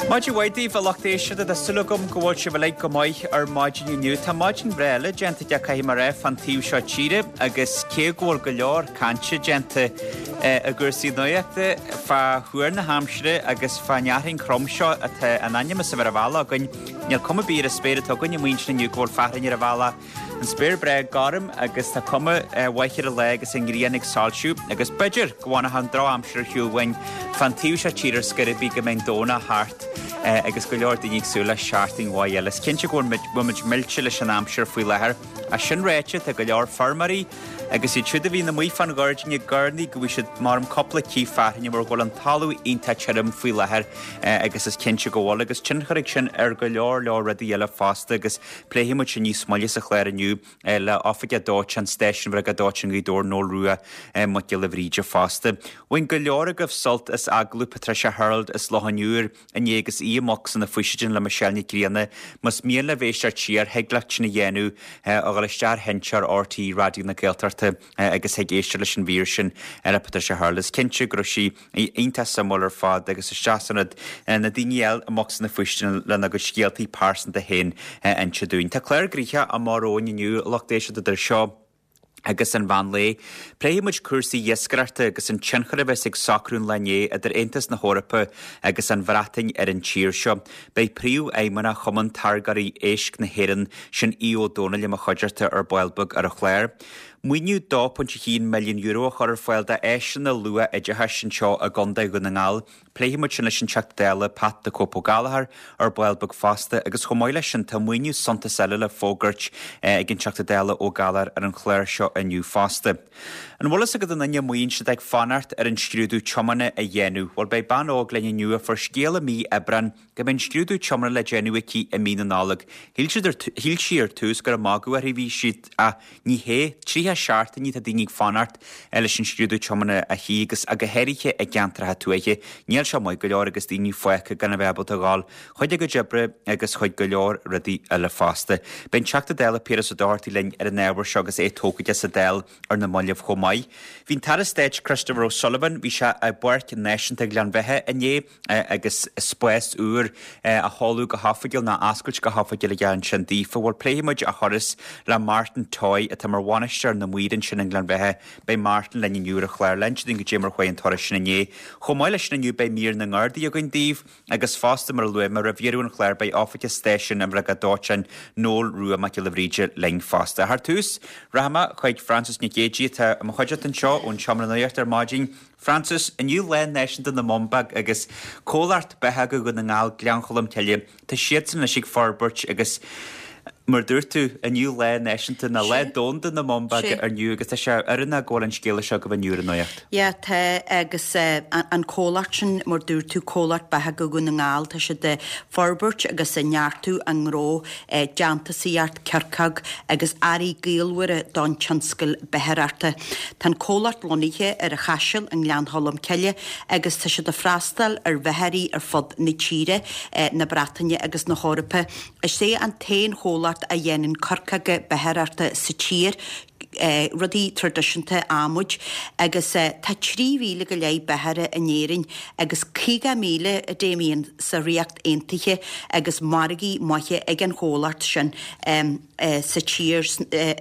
Maidin mhaith daoibh, a lucht éisteachta. Tá súil agam go bhfuil sibh uilig go maith ar maidin inniu. Tá maidin bhreá eile déanta aige, caithfidh mé a rá, fán taobh seo tíre agus cé go bhfuil go leor cainte déanta i gcúrsaí nuachta fá thuar na haimsire agus fán fhearthainn throm seo atá in ainm is a bheith ar an bhealach againn, níl cuma ar bith ar an spéir atá againn amuigh ansin inniu go bhfuil fearthainn ar an bhealach. An spéir breá gorm agus tá cuma mhaith ar an lá agus an ghrian ag soilsiú agus b'fhéidir go bhfanfadh an drochaimsir ar shiúl uainn fán taobh seo tíre ar scor ar bith go mbeidh an Domhnach thart agus go leor daoine ag súil le seachtain mhaith eile. Is cinnte go bhfuil muid millte leis an aimsir faoi láthair. Ach sin ráite, tá go leor feirmeoirí agus iad siúd a bhíonn amuigh fán ghairdín ag urnaí go bhfaighidh siad maram cúpla cith fearthainne mar go bhfuil an talamh iontach tirim faoi láthair agus is cinnte go bhfuil agus tionchar ag sin ar go leor leor rudaí eile fosta agus Pléifidh muid sin níos moille sa chlár inniu le Oifigeach Dóiteáin Stáisiún Bhriogáid Dóiteáin Ghaoth Dobhair, Noel Rua Mac Giolla Bhríde fosta. Bhain go leor agaibh sult as agallamh Patricia Harold as Loch an Iúir inné agus í i mbocsa na bhFaoisidin le Michelle Nic Grianna. Más mian libh éisteacht siar, thig leat sin a dhéanamh, a dhul isteach ar sheinnteoir RTÉ Raidió na Gaeltachta agus thig éisteacht leis an mhír sin le Patricia Harold. Is cinnte go raibh sí Iontach suimiúil ar fad agus isteach san rud, na daoine eile i mbocsa na bhfaoistean lena gcuid scéaltaí pearsanta féin a inse dúinn. Tá clár gnoitheach amach romhainn inniu, a lucht éisteachta, idir seo agus an mheán lae. Pléifidh muid cúrsaí iascaireachta agus an tionchar a bheas ag socrú an lae inné idir Aontas na hEorpa agus an Bhreatain ar an tír seo. Beidh Príomhfheidhmeannach Chumann Táirgeoirí Éisc na hÉireann, sin Aodh Ó Domhnaill i mo chuideachta ar ball beag ar an chlár. Maoiniú €2.1 milliún a chur ar fáil d'áiseanna luath-oideachais anseo i gContae Dhún na nGall. Pléifidh muid sin leis an Teachta Dála Pat 'The Cope' Ó Gallchóir ar ball beag fosta agus chomh maith leis sin tá maoiniú suntas eile le fógairt ag an Teachta Dála Ó Gallchóir ar an chlár seo inniu fosta. An bhfuil fhios agat an duine amuigh ansin atá ag fanacht ar an scrúdú tiomána a dhéanamh? Bhuel beidh bean óg linn inniu a fuair scéala mí Aibreán go mbeidh an scrúdú tiomána le déanamh aici i mí na Nollag. Shíl siad ar, shíl sí ar tús gur ag magadh uirthi a bhí siad ach ní hea, 30 seachtainí atá daoine ag fanacht leis an scrúdú tiomána a shuí agus go háirithe i gceantracha tuaithe. Níl seo maith go leor agus daoine fágtha gan a bheith ábalta a dhul chuig a gcuid oibre agus chuig go leor rudaí eile fosta. Beidh an Teachta Dála Piaras Ó Dochartaigh linn ar an ábhar seo agus é tógtha aige sa Dáil ar na mallaibh chomh maith. Bhí an tAire Stáit Christopher O'Sullivan, bhí sé i bPáirc Náisiúnta Ghleann Bheatha inné, agus spás úr á sheoladh go hoifigiúil, nó á oscailt go hoifigiúil aige ansin daofa. Bhuel, pléifidh muid a thuras le Martin Toy, atá mar bhainisteoir na maor ansin i nGleann Bheatha. Beidh Martin linn inniu ar an chlár le hinse dúinn goidé mar chuaigh an turas sin inné. Chomh maith leis sin inniu, beidh mír na nGardaí againn daoibh, agus fosta, mar a luaigh mé roimh dheireadh an chláir, beidh Oifigeach Stáisiún an Bhriogáid Dóiteáin, Noel Rua Mac Giolla Bhríde linn fosta. Ach ar tús, rachaidh mé chuig Frances Nic Géadaigh, atá i mo chuideachta anseo ón Seomra Nuachta ar maidin. Frances, Inniu Lá Náisiúnta na mBumbag agus comhlacht Bitheoga Dhún na nGall, Gleann Cholm Cille, tá siadsan anois ag forbairt agus mar dúirt tú, inniu Lá Náisiúnta nó Lá Domhanda na mBumbag inniu agus tá sé oiriúnach go bhfuil an scéala seo agaibh inniu ar an nuacht. Yeah, tá agus an comhlacht sin, mar dúirt tú, comhlacht Bitheoga Dhún na nGall, tá siad ag forbairt agus ag neartú a ngnó déantúsaíocht coirceog agus earraí gaolmhara don tionscal beachaireachta. Tá an comhlacht lonnaithe ar an Chaiseal i nGleann Cholm Cille agus tá siad ag freastal ar bheachairí ar fud na tíre, na Breataine agus na hEorpa. Is é an t-aon chomhlacht a dhéanann coirceoga beachaireachta sa tír, rudaí traidisiúnta adhmaid, agus tá 3,000 go leith beachaire in Éirinn agus 50,000, a Damien, sa Ríocht Aontaithe agus margaí maithe ag an chomhlacht sin sa tír,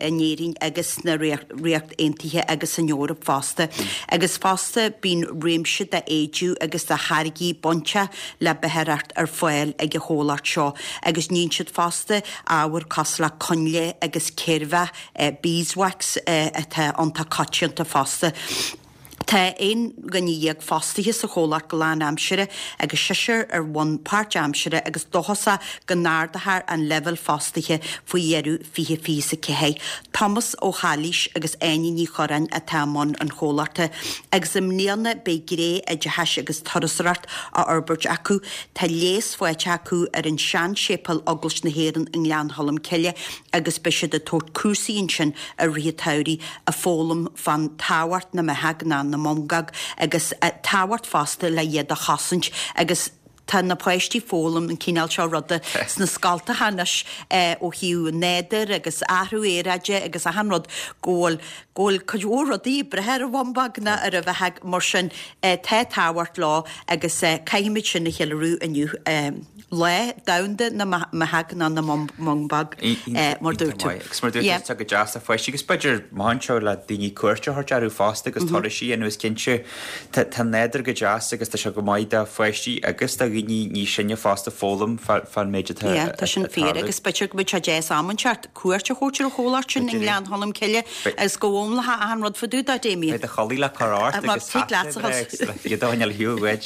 in Éirinn agus sna Ríocht Aontaithe agus san Eoraip fosta. Agus fosta bíonn réimse d'éidiú agus de tháirgí bainteach le beachaireacht ar fáil ag an chomhlacht seo agus níonn siad fosta ábhair cosúil le coinnle agus céirbheach, beeswax, atá iontach coitianta fosta. Tá 11 dhuine fostaithe sa chomhlacht go lánaimseartha agus seisear ar bhonn páirtaimseartha agus dóchasach go n-ardófar an leibhéal fostaithe faoi dheireadh 2024. Tomás Ó hAilís agus Áine Ní Churráin atá i mbun an chomhlachta agus i mbliana beidh gné oideachais agus turasóireacht á fhorbairt acu. Tá léas faighte acu ar an sean-séipéal Eaglais na hÉireann i nGleann Cholm Cille agus beidh siad ag tabhairt cúrsaí ansin i rith an tsamhraidh ag foghlaim fán tábhacht na mbeathach ná na mbungog agus tábhacht fosta le iad a chosaint agus. Tá na páistí ag foghlaim an cineál seo ruda sna scoltacha anois ó thaobh an nádúir agus athrú aeráide agus achan rud go bhfuil go bhfuil cuid mhór rudaí ag breith ar an bhumbóg ná ar an bheathóg mar sin tá tábhacht leo agus caithfimid sin a cheiliúradh inniu. Lá Domhanda na mBeathóg ná na mBumbóg mar dúirt tú. Agus mar dúirt tú tá go deas le páistí agus b'fhéidir maith anseo le daoine cuairt a thabhairt orthu fosta agus turais a dhéanamh is cinnte Tá an nádúr go deas agus tá sé go maith do pháistí agus do dhaoine níos sine fosta foghlaim fán méid atá ag tarlú. Tá sin fíor agus b'fhéidir go mbeadh sé deas am inteacht cuairt a thabhairt ar an chomhlacht sin i nGleann Cholm Cille agus go bhfoghlaimeofá achan rud fá dtaobh de, Damien. Beidh do chulaith le cur ort agus hata breá agus iad a choinneáil ar shiúl uait.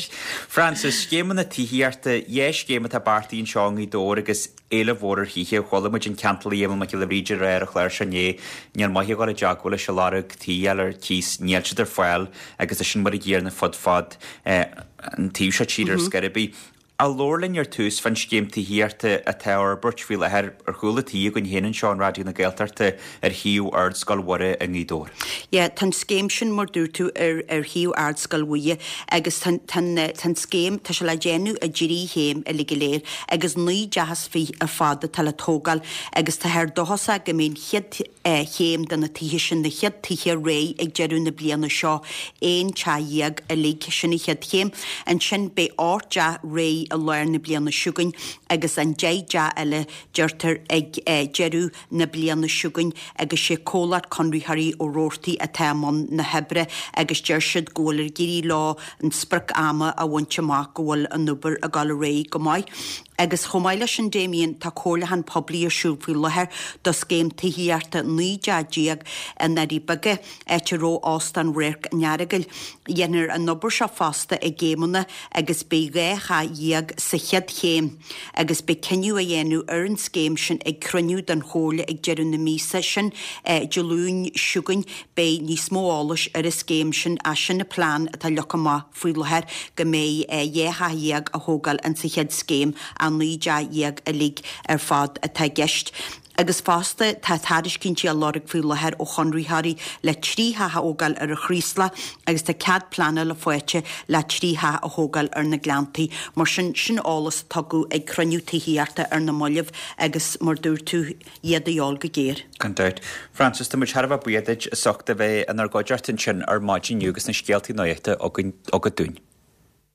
Frances, scéimeanna tithíochta, dhá scéim atá beartaithe anseo i nGaoth Dobhair agus éileamh mhór ar thithe. Chuala muid an ceantálaí Éamonn Mac Giolla Bhríde ag rá ar an chlár seo inné, níl maith a dhul i dteagmháil leis ag lorg tí a fháil ar cíos, níl siad ar fáil agus tá sin mar an gcéanna fud fad an taobh seo tíre ar scor ar bith. Ach labhair linn ar tús fán scéim tithíochta atá á fhorbairt faoi láthair ar chúl an tí againn féin anseo in Raidió na Gaeltachta ar shuíomh Ardscoil Mhuire i nGaoth Dobhair. Yeah, tá an scéim sin, mar dúirt tú, ar ar shuíomh Ardscoil Mhuire agus tá tá tá an scéim, tá sé le déanamh i dtrí chéim uilig go léir. agus 19 dteach ar fad atá le tógáil agus táthar dóchasach go mbeidh an chéad chéim de na tithe sin, na chéad tithe réidh ag deireadh na bliana seo, 11 teach uilig, sin an chéad chéim. Ansin beidh 8 dteach réidh i lár na bliana seo chugainn agus an 10 dteach eile, deirtear, ag deireadh na bliana seo chugainn agus sé comhlacht conraitheoirí Ó Roarty atá i mbun na hoibre agus deir siad go bhfuil ag éirí leo an sprioc ama a bhaint amach, go bhfuil an obair ag dul ar aghaidh go maith. Agus chomh maith leis sin Damien, tá comhairliúchán poiblí ar siúl faoi láthair do scéim tithíochta 19 dteach i nDoirí Beaga, áit a raibh Óstán Radharc an Earagail. Dhéanfar an obair seo fosta i gcéimeanna agus beidh 12 theach sa chéad chéim. agus beidh cinneadh á dhéanamh ar an scéim sin ag cruinniú den Chomhairle ag deireadh na míosa sin, Dé Luain seo chugainn. Beidh níos mó eolais ar an scéim sin ach sin an plean atá leagtha amach faoi láthair go mbeidh 12 theach á thógáil in sa chéad scéim ach 19 dteach uilig ar fad atá i gceist. Agus fosta, tá tairiscintí á lorg faoi láthair ó chonraitheoirí le 3 theach a thógáil ar an Chraoslach agus tá cead pleanála faighte le 3 theach a thógáil ar na Gleanntaí. Mar sin, sin eolas a tugadh ag cruinniú tithíochta ar na mallaibh agus, mar dúirt tú, iad a dhíobháil go géar. Gan dabht. Frances, tá muid thar a bheith buíoch duit as ucht a bheith inár gcuideachta ansin ar maidin inniu agus na scéaltaí nuachta agat dúinn.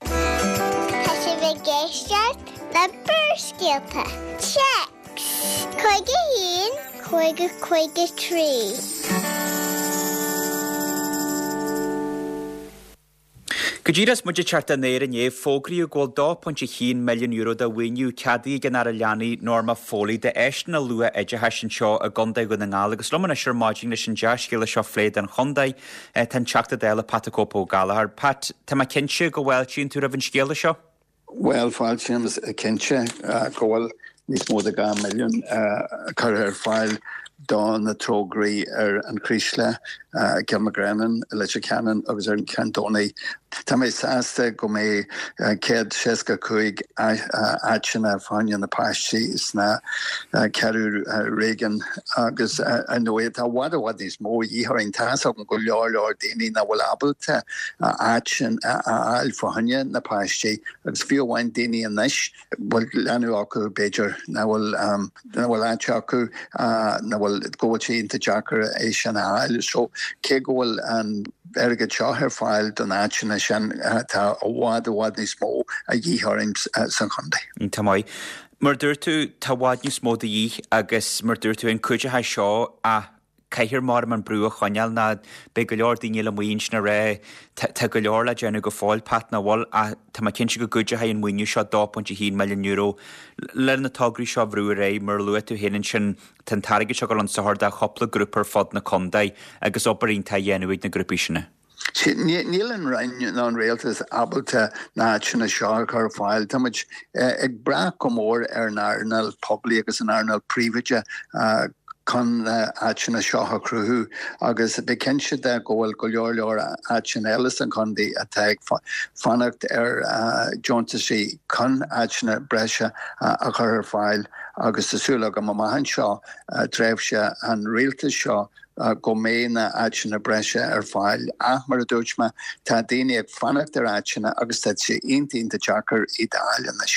Tá sibh ag éisteacht le Barrscéalta. Téacs 51 50 53. Go díreach is muid ag teacht ar aer inné, fógraíodh go bhfuil €2.1 milliún de mhaoiniú ceadaithe ag an Aire Leanaí Norma Foley d'áiseanna luath-oideachais anseo i gContae Dhún na nGall agus liom anois ar maidin leis an dea-scéala seo a phlé don chontae Tá an Teachta Dála Pat the Cope Ó Gallchóir. Pat, tá mé cinnte go bhfáiltíonn tú roimh an scéala seo? Bhuel, fáiltím cinnte go bhfuil níos mó de 2 milliún curtha ar fáil do na tograí ar an Chraoslach, Cill Mhacgréanáin, Leitir Ceanainn agus ar an Cheann Domhnaigh. Tá mé sásta go mbeidh 165 áiteanna fá choinne na páistí sna ceathrú réigiún agus ar ndóigh tá i bhfad i bhfad níos mó a dhíth orainn. Tá fhios agam go leor leor daoine nach bhfuil ábalta áit a fháil fá choinne na páistí agus fiú amháin daoine anois bhfuil leanbh acu b'fhéidir nach bhfuil nach bhfuil áit acu nach bhfuil go bhfuil sé iontach deacair é sin a fháil. So cé go bhfuil an airgead seo ar fáil don áiteanna sin tá i bhfad i bhfad níos mó a dhíth orainn san chontae. Iontach maith. Mar a dúirt tú tá i bhfad níos mó de dhíth agus mar a dúirt tú an cuideoidh seo ach caithfear maram an brú a choinneáil ná beidh go leor daoine eile amuigh ansin ag rá tá go leor le déanamh go fóill, Pat, nach bhfuil ach tá mé cinnte go gcuideoidh an maoiniú seo €2.1 milliún le na tograí seo a bhrú ar aghaidh mar a luaigh tú féin ansin tá an t-airgead seo ag dul chun sochair do chúpla grúpa ar fud na contae agus obair iontach á dhéanamh ag na grúpaí sin. Níl an Roinn ná an Rialtas ábalta na háiteanna seo a chur ar fáil. Tá muid ag brath go mór ar an earnáil poiblí agus an earnáil príobháideach chun na háiteanna seo a chruthú agus bí cinnte de go bhfuil go leor leor áiteanna eile san chontae atá ag fanacht ar deontaisí chun áiteanna breise a chur ar fáil agus tá súil agam amach anseo tréimhse an rialtais seo. go mbeidh na áiteanna breise ar fáil. Ach mar a dúirt mé, tá daoine ag fanacht ar áiteanna agus tá sé iontach iontach deacair iad a fháil anois.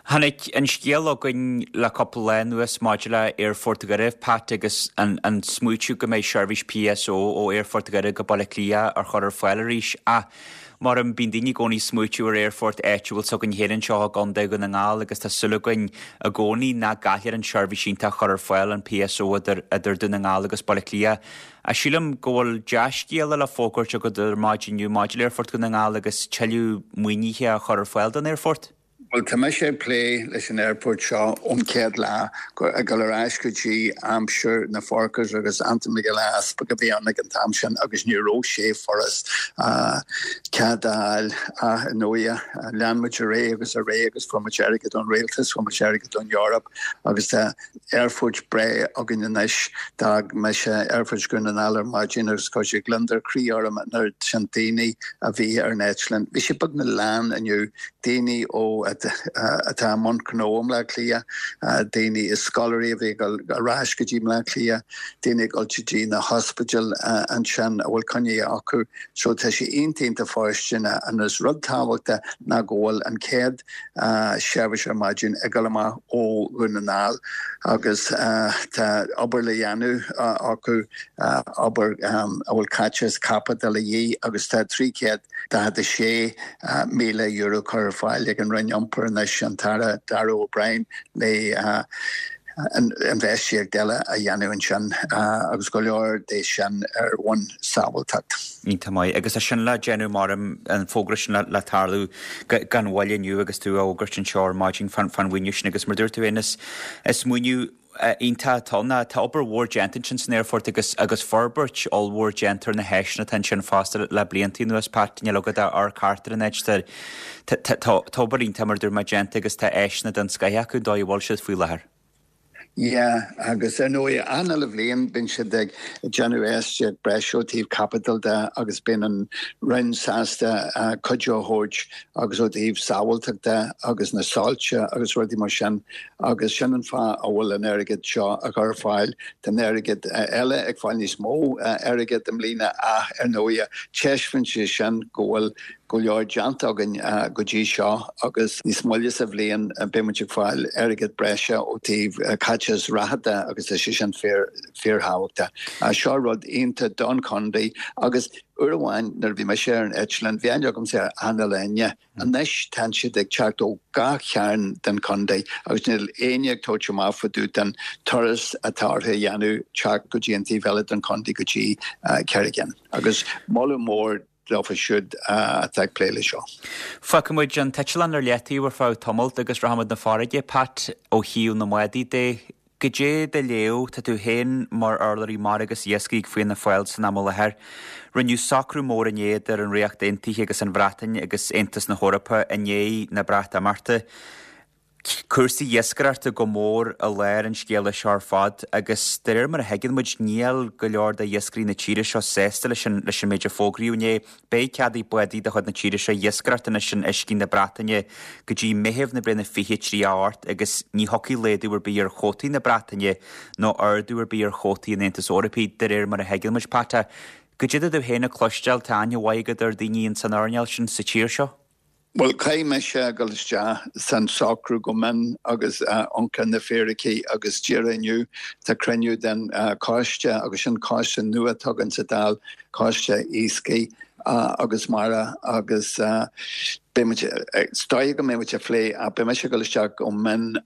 Tháinig an scéal chugainn le cúpla lá anuas maidir le Aerfort Dhoire, Pat, agus an smaoitiú go mbeidh seirbhís PSO ó Aerfort Dhoire go Baile Átha Cliath á chur ar fáil arís. Ach Mar bíonn daoine i gcónaí ag smaoitiú ar aerfort áitiúil s'againn féin anseo i gContae Dhún na nGall agus tá súil againn i gcónaí nach gcaillfear an seirbhís iontach a chur ar fáil, an PSO idir idir Dún na nGall agus Baile Átha Cliath. Ach sílim go bhfuil dea-scéala le fógairt agat ar maidin inniu maidir le Aerfort Dhún na nGall agus tuilleadh maoinithe á chur ar fáil don aerfort. Bhuel, tá mise ag plé leis an aerfort seo ón chéad lá, ag dul ar ais go dtí aimsir na Forkas agus Antain Mac Giolla Easpaig a bhí ann ag an t-am sin agus ní raibh sé furast cead a fháil ach ar ndóighe lean muid ar aghaidh agus ar aghaidh agus fuair muid airgead ón rialtas, fuair muid airgead ón Eoraip agus tá aerfort breá againn anois. D'fhág mise Aerfort Dhún na nGall ar maidin agus chuir sé gliondar croí orm an oiread sin daoine a bhí ar an eitleán. Bhí sé beagnach lán inniu, daoine ó atá i mbun gnó i mBleá Cliath, daoine is scoláirí a bhí ag dul ar ais go dtí mBleá Cliath, daoine ag dul go dtí na hospidéil ansin a bhfuil coinní acu. So tá sé iontach iontach fóirsteanach and is rud tábhachtach ná go bhfuil an chéad seirbhís ar maidin ag dul amach ó Dhún na nGall agus tá obair le dhéanamh acu, obair a bhfuil caiteachas caipitil de dhíth agus tá €346,000 curtha ar fáil ag an Roinn Iompair anois, an tAire Darragh O'Brien le infheistíocht eile a dhéanamh ansin agus go leor de sin ar bhonn sábháilteacht. Iontach maith. Agus é sin le déanamh mar an fógra sin le tarlú gan mhoill inniu agus tú á fhógairt anseo ar maidin fán mhaoiniú sin agus mar dúirt tú féin is is maoiniú iontach atá ann. Tá obair mhór déanta ansin san aerfort agus agus forbairt ollmhór déanta ar na háiseanna atá ansin fosta le blianta anuas, Pat, níl agat ach amharc thart ar an áit. Tá tá obair iontach mar a dúirt mé déanta agus tá áiseanna den scoith acu an dóigh a bhfuil siad faoi láthair. Yeah, agus ar ndóigh, achan uile bhliain bíonn siad ag déanamh infheistíocht breise ó taobh caipitil de agus bíonn an Roinn sásta cuidiú a thabhairt agus ó taobh sábháilteachta de agus na soilse agus rudaí mar sin agus sin an fáth a bhfuil an airgead seo á chur ar fáil. Tá an airgead eile ag fáil níos mó airgead i mbliana ach ar ndóigh taispeánann sé sin go bhfuil go leor déanta againn go dtí seo agus níos moille sa bhliain beidh muid ag fáil airgead breise ó taobh caiteachas reatha de agus tá sé sin fíor fíorthábhachtach. Seo rud iontach don chontae agus uair amháin nuair a bhí mise ar an eitleán bhí aithne agamsa ar achan uile dhuine. Anois tánn siad ag teacht ó gach cearn den chontae agus níl éinne ag tabhairt amach fá dtaobh den turas atá orthu a dhéanamh teacht go dtí an taobh eile den chontae go dtí Carraig Fhinn. Agus moladh mór dófa siúd atá ag plé leis seo. Fágfaidh muid an t-eitleán ar leataobh ar feadh tamalt agus rachaimid 'na farraige, Pat, ó thaobh na mbádaí de. Goidé do léamh, tá tú féin mar urlabhraí mara agus iascaigh ag Fianna Fáil san am i láthair. Rinneadh socrú mór inné idir an Ríocht Aontaithe agus an Bhreatain agus Aontas na hEorpa i ndiaidh na Breatimeachta. Cúrsaí iascaireachta go mór i lár an scéala seo ar fad agus de réir mar a thuigeann muid níl go leor de iascairí na tíre seo sásta leis an leis an méid a fógraíodh inné. Beidh cead ag bádaí de chuid na tíre seo iascaireacht anois in uiscí na Breataine go dtí Meitheamh na bliana 2038 agus ní thiocfaidh laghdú ar bith ar chuótaí na Breataine nó ardú ar bith ar chuótaí an Aontais Eorpaigh de réir mar a thuigeann muid. Pat, goidé atá tú féin a chloisteáil, tá aithne mhaith agat ar daoine ins an earnáil sin sa tír seo? Bhuel, caithfidh mise a dhul isteach san socrú go mion agus amharc ar na fíricí agus díreach inniu tá cruinniú den choiste agus sin coiste nua atá againn sa Dáil, Coiste Iascaigh agus Mara agus beidh muid, is dóigh go mbeidh muid ag plé ach beidh mise ag dul isteach go mion.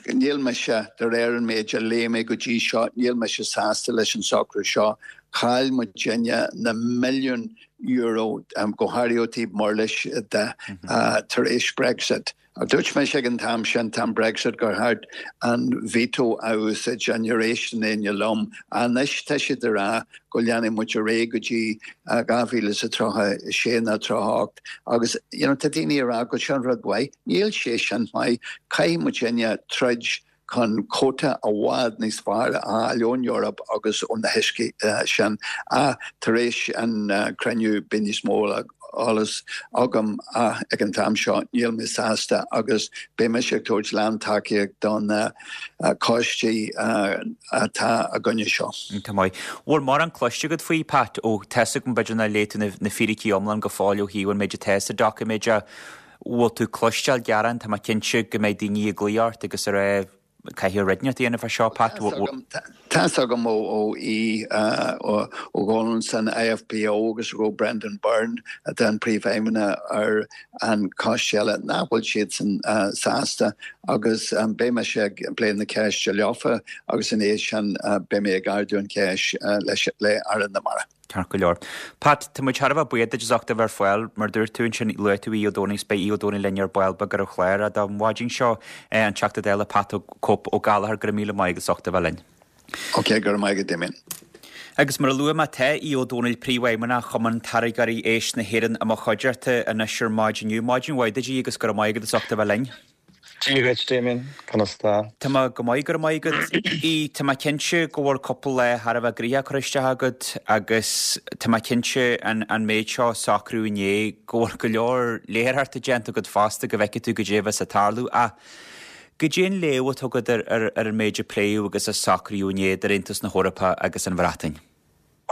Níl mise, de réir an méid a léigh mé go dtí seo, níl mise sásta leis an socrú seo. Chaill muidinne na milliúin euro, go háirithe ó taobh murlais de, tar éis Brexit. Dúirt mise ag an t-am sin, t-am Brexit, gur cheart an veto a úsáid and níor éist éinne liom. Anois tá siad ag rá go leanfaidh muid ar aghaidh go dtí 2036 nó 38 agus you know tá daoine ag rá go sin rud mhaith. Níl sé sin maith. Caithfidh muidinne troid. chun cuóta i bhfad níos fearr a fháil ón Eoraip agus ó na huiscí sin. Ach tar éis an cruinniú beidh níos mó eolas agam ach ag an t-am seo níl mé sásta agus beidh mise ag tabhairt lán-tacaíocht do na coistí atá i gcoinne seo. Tá maith. Bhfuil mórán cloiste agat faoi, Pat, ó tá's agam b'fhéidir nár léigh tú na fíricí iomlán go fóill ó thaobh an méid atá sa doiciméid ach bhfuil tú ag cloisteáil gearán, tá mé cinnte go mbeidh daoine ag glaoch ort agus ag rá caithfidh rud inteacht a dhéanamh fá seo, Pat. Tá's agam ó Aodh Ó Dónaill san IFBO agus ó Brendan Byrne atá an príomhfheidhmeannach ar an coiste eile nach bhfuil siadsan sásta agus beidh mise ag plé na ceiste leofa agus ina dhiaidh sin beidh mé ag ardú an cheist leis le Aire na Mara. Ceart go leor. Pat, tá muid thar a bheith buíoch duit as ucht a bheith ar fáil. Mar a dúirt tú ansin, luaigh tú Aodh Ó Dónaill agus beidh Aodh Ó Dónaill linn ar ball beag ar an chlár don mhaidin seo. An Teachta Dála Pat Cope Ó Gallchóir, go raibh míle maith agat as ucht a bheith linn. Ok, go raibh maith agat Damien. Agus mar a luaigh mé, tá Aodh Ó Dónaill, Príomhfheidhmeannach Chumann Táirgeoirí Éisc na hÉireann i mo chuideachta anois ar maidin inniu. Maidin mhaith duit, Aodh, agus go raibh maith agat as ucht a bheith linn. Dia dhuit, Damien. Conas tá? Tá mé go maith, go raibh maith agat. Aodh, tá mé cinnte go bhfuil cúpla lá thar a bheith gnoitheach curtha isteach agat agus tá mé cinnte an an méid seo a socrú inné go bhfuil go leor léitheoireachta déanta agat fosta go bhfeicfidh tú goidé a bheas ag tarlú. Ach goidé an léamh atá agat ar ar ar an méid a pléadh agus a socraíodh inné idir Aontas na hEorpa agus an Bhreatain?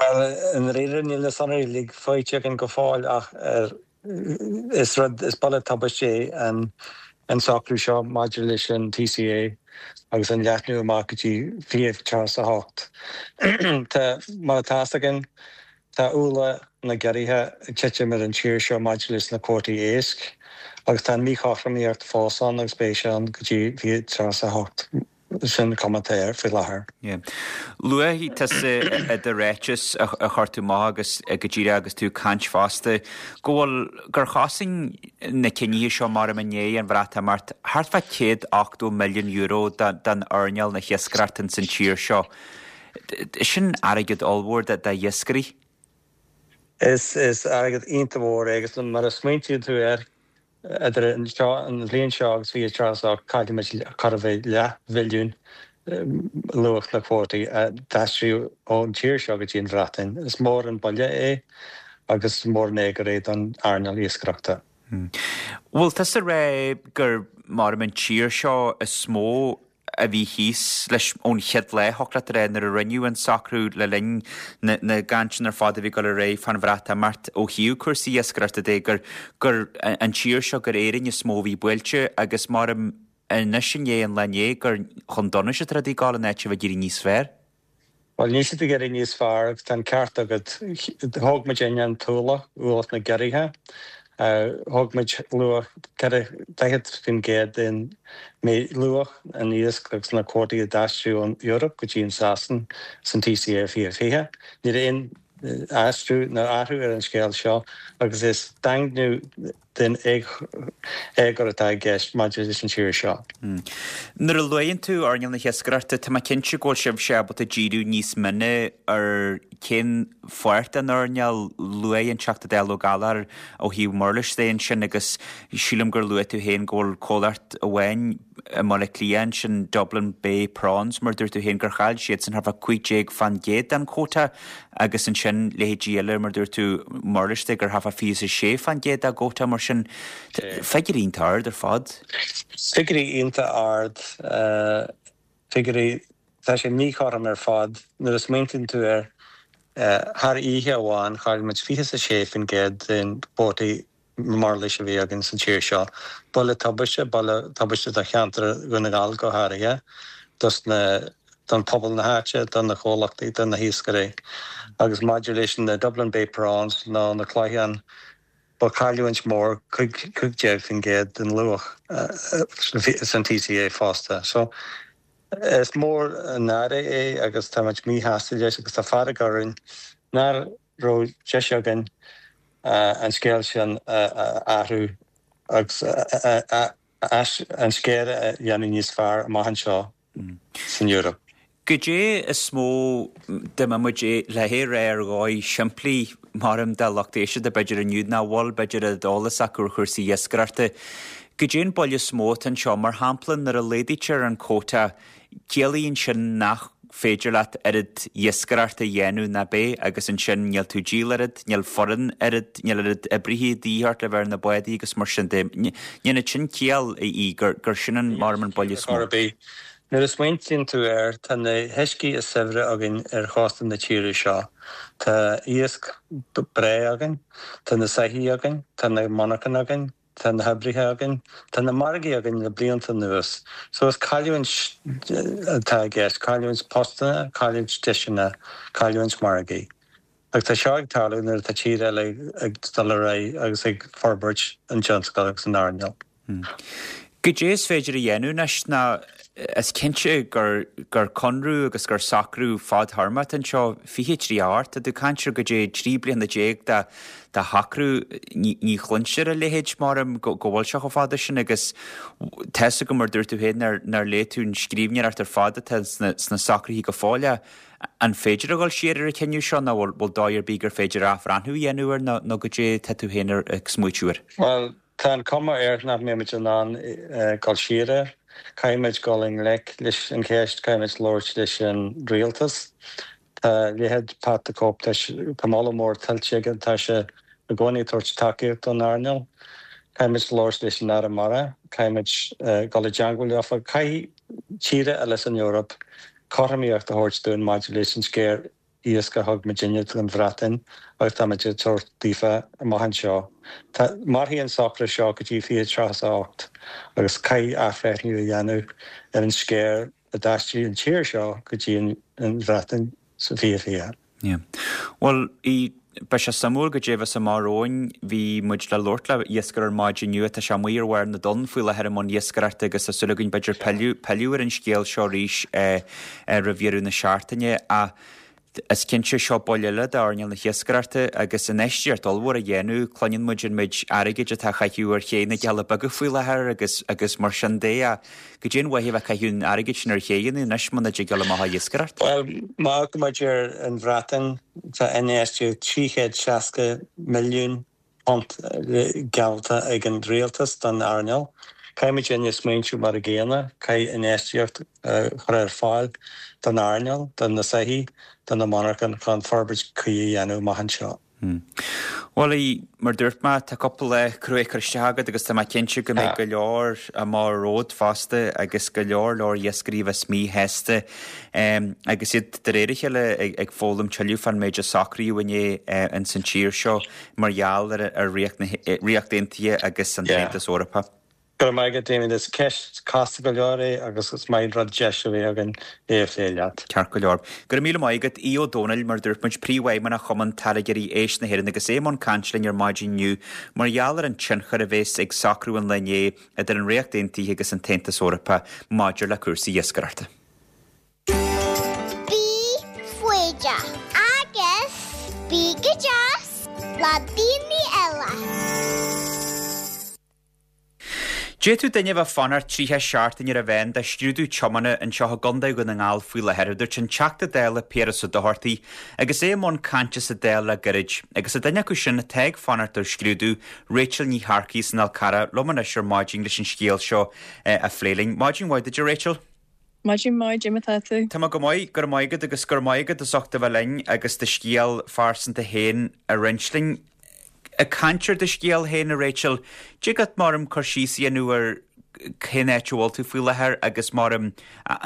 Bhuel, i ndáiríre níl na sonraí uilig faighte againn go fóill ach ar Is rud, is buille tubaiste é an socrú seo maidir leis an TCA agus an leathnú amach go dtí 2038. Tá, mar atá fhios againn, tá ualach na gciorruithe ag titim ar an tír seo maidir leis na cuótaí éisc agus tá an mhíchothromaíocht fós ann agus beidh sé ann go dtí 2038. Sin an chuma atá air faoi láthair. Luaigh tusa i do ráiteas a chuir tú amach agus go díreach agus tú ag caint fosta go bhfuil, gur chosain na cinnithe seo mar i ndiaidh an Bhreatimeacht thart fá €180 milliún don earnáil na hiascaireachta ins an tír seo. Sin airgead ollmhór d'iascairí. Is airgead iontach mhór é agus mar a smaointíonn tú air, Idir an bhliain seo agus 2038 caillfimid chóir a bheith leathbhilliún luach na cuótaí a d'aistríodh ón tír seo go dtí an Bhreatain. Is mór an buille é agus is mór an éagóir é don earnáil iascaireachta. Bhfuil tusa ag rá gur mar an tír seo is mó a bhí thíos leis ón chéad lá, thiocfadh leat a rá, nuair a rinneadh an socrú le linn na gcainteanna ar fad a bhí ag dul ar aghaidh fán Bhreatimeacht ó thaobh cúrsaí iascaireachta de, gur gur an tír seo, gur Éirinn is mó a bhí buailte agus mar anois i ndiaidh an lae inné gur chun donais atá rudaí ag dul in áit a bheith ag éirí níos fearr. Bhuel, níl siad ag éirí níos fearr agus tá an ceart agat. Thóg muid an t-ualach, ualach na gciorruithe. Thóg muid luach 40% den luach an iasc agus na cuótaí a d'aistríodh ón Eoraip go dtí an Sasain san TCA 2020. Ní raibh aon aistriú ná athrú ar an scéal seo agus is daingniú den éagóir atá i gceist maidir leis an tír seo. Nuair a luann tú earnáil na hiascaireachta, tá mé cinnte go bhfuil sibhse ábalta díriú níos mine ar cén pháirt den earnáil. Luaigh an Teachta Dála Ó Gallchóir ó thaobh murlais de ansin agus sílim gur luaigh tú féin go bhfuil comhlacht amháin i mBaile Átha Cliath ansin, Dublin Bay Prawns, mar a dúirt tú féin gur chaill siadsan thart fá 15% den chóta agus ansin leithéidí eile mar a dúirt tú, murlais de gur thart fá 26% dá gcóta mar sin. Figiúirí iontach ard ar fad. Figiúirí iontach ard, figiúirí, tá sé míchothrom ar fad. Nuair a smaointíonn tú air, thar oíche amháin chaill muid 26% den cuótaí murlais a bhí againn sa tír seo. Buille tubaiste, buille tubaiste do cheantar Dhún na nGall go háirithe, dos na, don pobal na háite, do na comhlachtaí, do na hiascairí. Agus maidir leis na Dublin Bay Prawns nó na Cloicheáin, ba chailliúint mór, 15% den luach san TCA fosta. So, is mór an náire é agus táimid míshásta leis agus tá fearg orainn nach raibh deis againn an scéal sin a athrú agus an scéal a dhéanamh níos fearr amach anseo san Eoraip. Goidé is mó dá mbeadh muid le é a rá ar dhóigh shimplí, maram do lucht éisteachta b'fhéidir inniu nach bhfuil b'fhéidir an t-eolas acu ar chúrsaí iascaireachta. Goidé an buille is mó atá anseo? Mar shampla, nuair a laghdaítear an quota, ciallaíonn sin nach féidir leat oiread iascaireachta a dhéanamh ná b'é agus ansin níl tú ag díol oiread, níl foireann oiread, níl oiread oibrithe de dhíth ort le bheith ar na bádaí agus mar sin de. Ndéanann sin ciall í gur gur sin an mar an buille is mó. Nuair a smaointíonn tú air, tá na huiscí is saibhre againn ar chósta na tíre seo. Tá iasc breá againn, tá na soithí againn, tá na monarchana againn, tá na hoibrithe againn, tá na margaí againn le blianta anuas. So is cailliúint atá i gceist, cailliúint postanna, cailliúint deiseanna, cailliúint margaí. Agus tá seo ag tarlú nuair atá tír eile ag dul ar aghaidh agus ag forbairt an tionscail agus an earnáil. Goidé is féidir a dhéanamh anois ná is cinnte gur gur conradh agus gur socrú fadthéarmach atá anseo, 2038, tá tú ag caint ar goidé 13 bliana de de shocrú, ní ní chluintear a leithéid maram go go bhfuil sé chomh fada sin agus tá's agam mar dúirt tú féin nár nár léigh tú an scríbhneoireacht ar fad atá sna sna socruithe go fóill ach an féidir a dhul siar ar an chinneadh seo nó bhfuil bhfuil dóigh ar bith gur féidir athbhreathnú a dhéanamh air nó nó goidé tá tú féin ag smaoitiú air? Bhuel, Tá an cuma air nach mbeimid in ann dul siar air. Caithfimid dul i ngleic leis an cheist, caithfimid labhairt leis an rialtas. Tá leithéid Pat the Cope, tá tá moladh mór tuillte aige, tá sé i gcónaí ag tabhairt tacaíocht don earnáil. Caithfimid labhairt leis an Aire Mara, caithfimid dul i dteangmháil leofa. Caithfidh tíortha eile san Eoraip cothromaíocht a thabhairt dúinn maidir leis an sciar iasc a thug muidinne don Bhreatain agus táimid ag tabhairt daofa amach anseo. Tá, mairfidh an socrú seo go dtí 2038 agus caithfidh athbhreithniú a dhéanamh ar an sciar a d'aistrigh an tír seo go dtí an Bhreatain sa 2020. Yeah. Bhuel, beidh sé suimiúil goidé a bheas amach romhainn. Bhí muid le labhairt le iascaire ar maidin inniu, tá sé amuigh ar bharr na dtonn faoi láthair i mbun iascaireachta agus tá súil againn b'fhéidir pilleadh, pilleadh ar an scéal seo arís roimh dheireadh na seachtaine. Ach is cinnte seo buille eile d'earnáil na hiascaireachta agus infheistíocht ollmhór a dhéanamh. Cluineann muid an méid airgid atá á chaitheamh ar ché na gCealla Beaga faoi láthair agus agus mar sin de. Ach goidé an mhaith a bheith ag caitheamh an airgid sin ar chéidheanna anois muna dtig dul amach ag iascaireacht? Bhuel, má amharcann muid ar an Bhreatain, tá infheistíocht £360 milliún geallta ag an rialtas don earnáil. Caithfidh muidinne smaointiú mar a gcéanna, caithfidh infheistíocht a chur ar fáil don earnáil, do na soithí, do na monarchana chun forbairt cuí a dhéanamh amach anseo. Bhuel, mar dúirt mé, tá cúpla lá crua curtha isteach agat agus tá mé cinnte go mbeidh go leor amach romhat fosta agus go leor leor iascairí a bheas míshásta agus iad de réir a chéile ag foghlaim tuilleadh fán méid a socraíodh inné ins an tír seo mar gheall ar Ríocht Aontaithe agus an tAontas Eorpach. Go raibh maith agat, Damien. Is ceist casta go leor é agus is maith an rud deis a bheith againn é a phlé leat. Ceart go leor. Go raibh míle maith agat, Aodh Ó Domhnaill, mar a dúirt muid, Príomhfheidhmeannach Chumann Táirgeoirí Éisc na hÉireann agus é i mbun cainte linn ar maidin inniu mar gheall ar an tionchar a bhéas ag socrú an lae inné idir an Ríocht Aontaithe agus an tAontas Eorpach maidir le cúrsaí iascaireachta. Bí foighdeach agus bí go deas le daoine eile. D'fhéadfadh duine a bheith ag fanacht 30 seachtain ar a mheán do scrúdú tiomána anseo i gContae Dhún na nGall faoi láthair, a dúirt an Teachta Dála Piaras Ó Dochartaigh agus é i mbun cainte sa Dáil le gairid. Agus tá duine acu sin atá ag fanacht ar scrúdú, Rachel Ní Shearcaigh as an Fhál Carrach, liom anois ar maidin leis an scéal seo a phlé linn. Maidin mhaith duit, a Rachel. Maidin mhaith, cad é mar atá tú. Tá mé go maith, go raibh maith agat agus go raibh maith agat as ucht a bheith linn agus do scéal phearsanta féin a roinnt linn. Ag caint ar do scéal féin, a Rachel, dtig leat maram cur síos a dhéanamh ar cén áit a bhfuil tú faoi láthair agus maram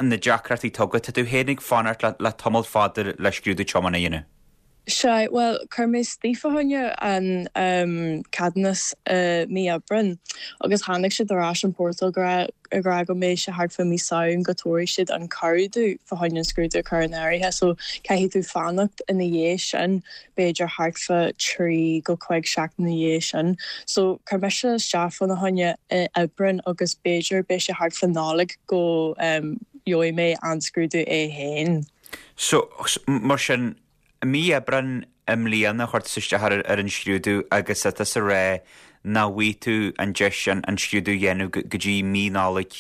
na deacrachtaí atá agat. Tá tú féin ag fanacht le tamall fada le scrúdú tiomána a dhéanamh. Sea, bhuel, chuir mé isteach fá choinne an ceadúnas i mí Aibreáin agus tháinig siad ar ais an portal go raibh, ag rá go mbeidh sé thart fá mí Samhain go dtabharfaidh siad an cuireadh duit fá choinne an scrúdú a chur in áirithe so caithfidh tú fanacht ina dhiaidh sin, b'fhéidir thart fá 3 go 5 seachtain ina dhiaidh sin. So chuir mise isteach fána choinne i Aibreán agus b'fhéidir beidh sé thart fá Nollaig go gheobhaidh mé an scrúdú é féin. So, mar sin, I mí Aibreáin i mbliana chuir tusa isteach ar an scrúdú agus tá tusa ag rá nach bhfaighidh tú an deis an scrúdú a dhéanamh go dtí mí Nollag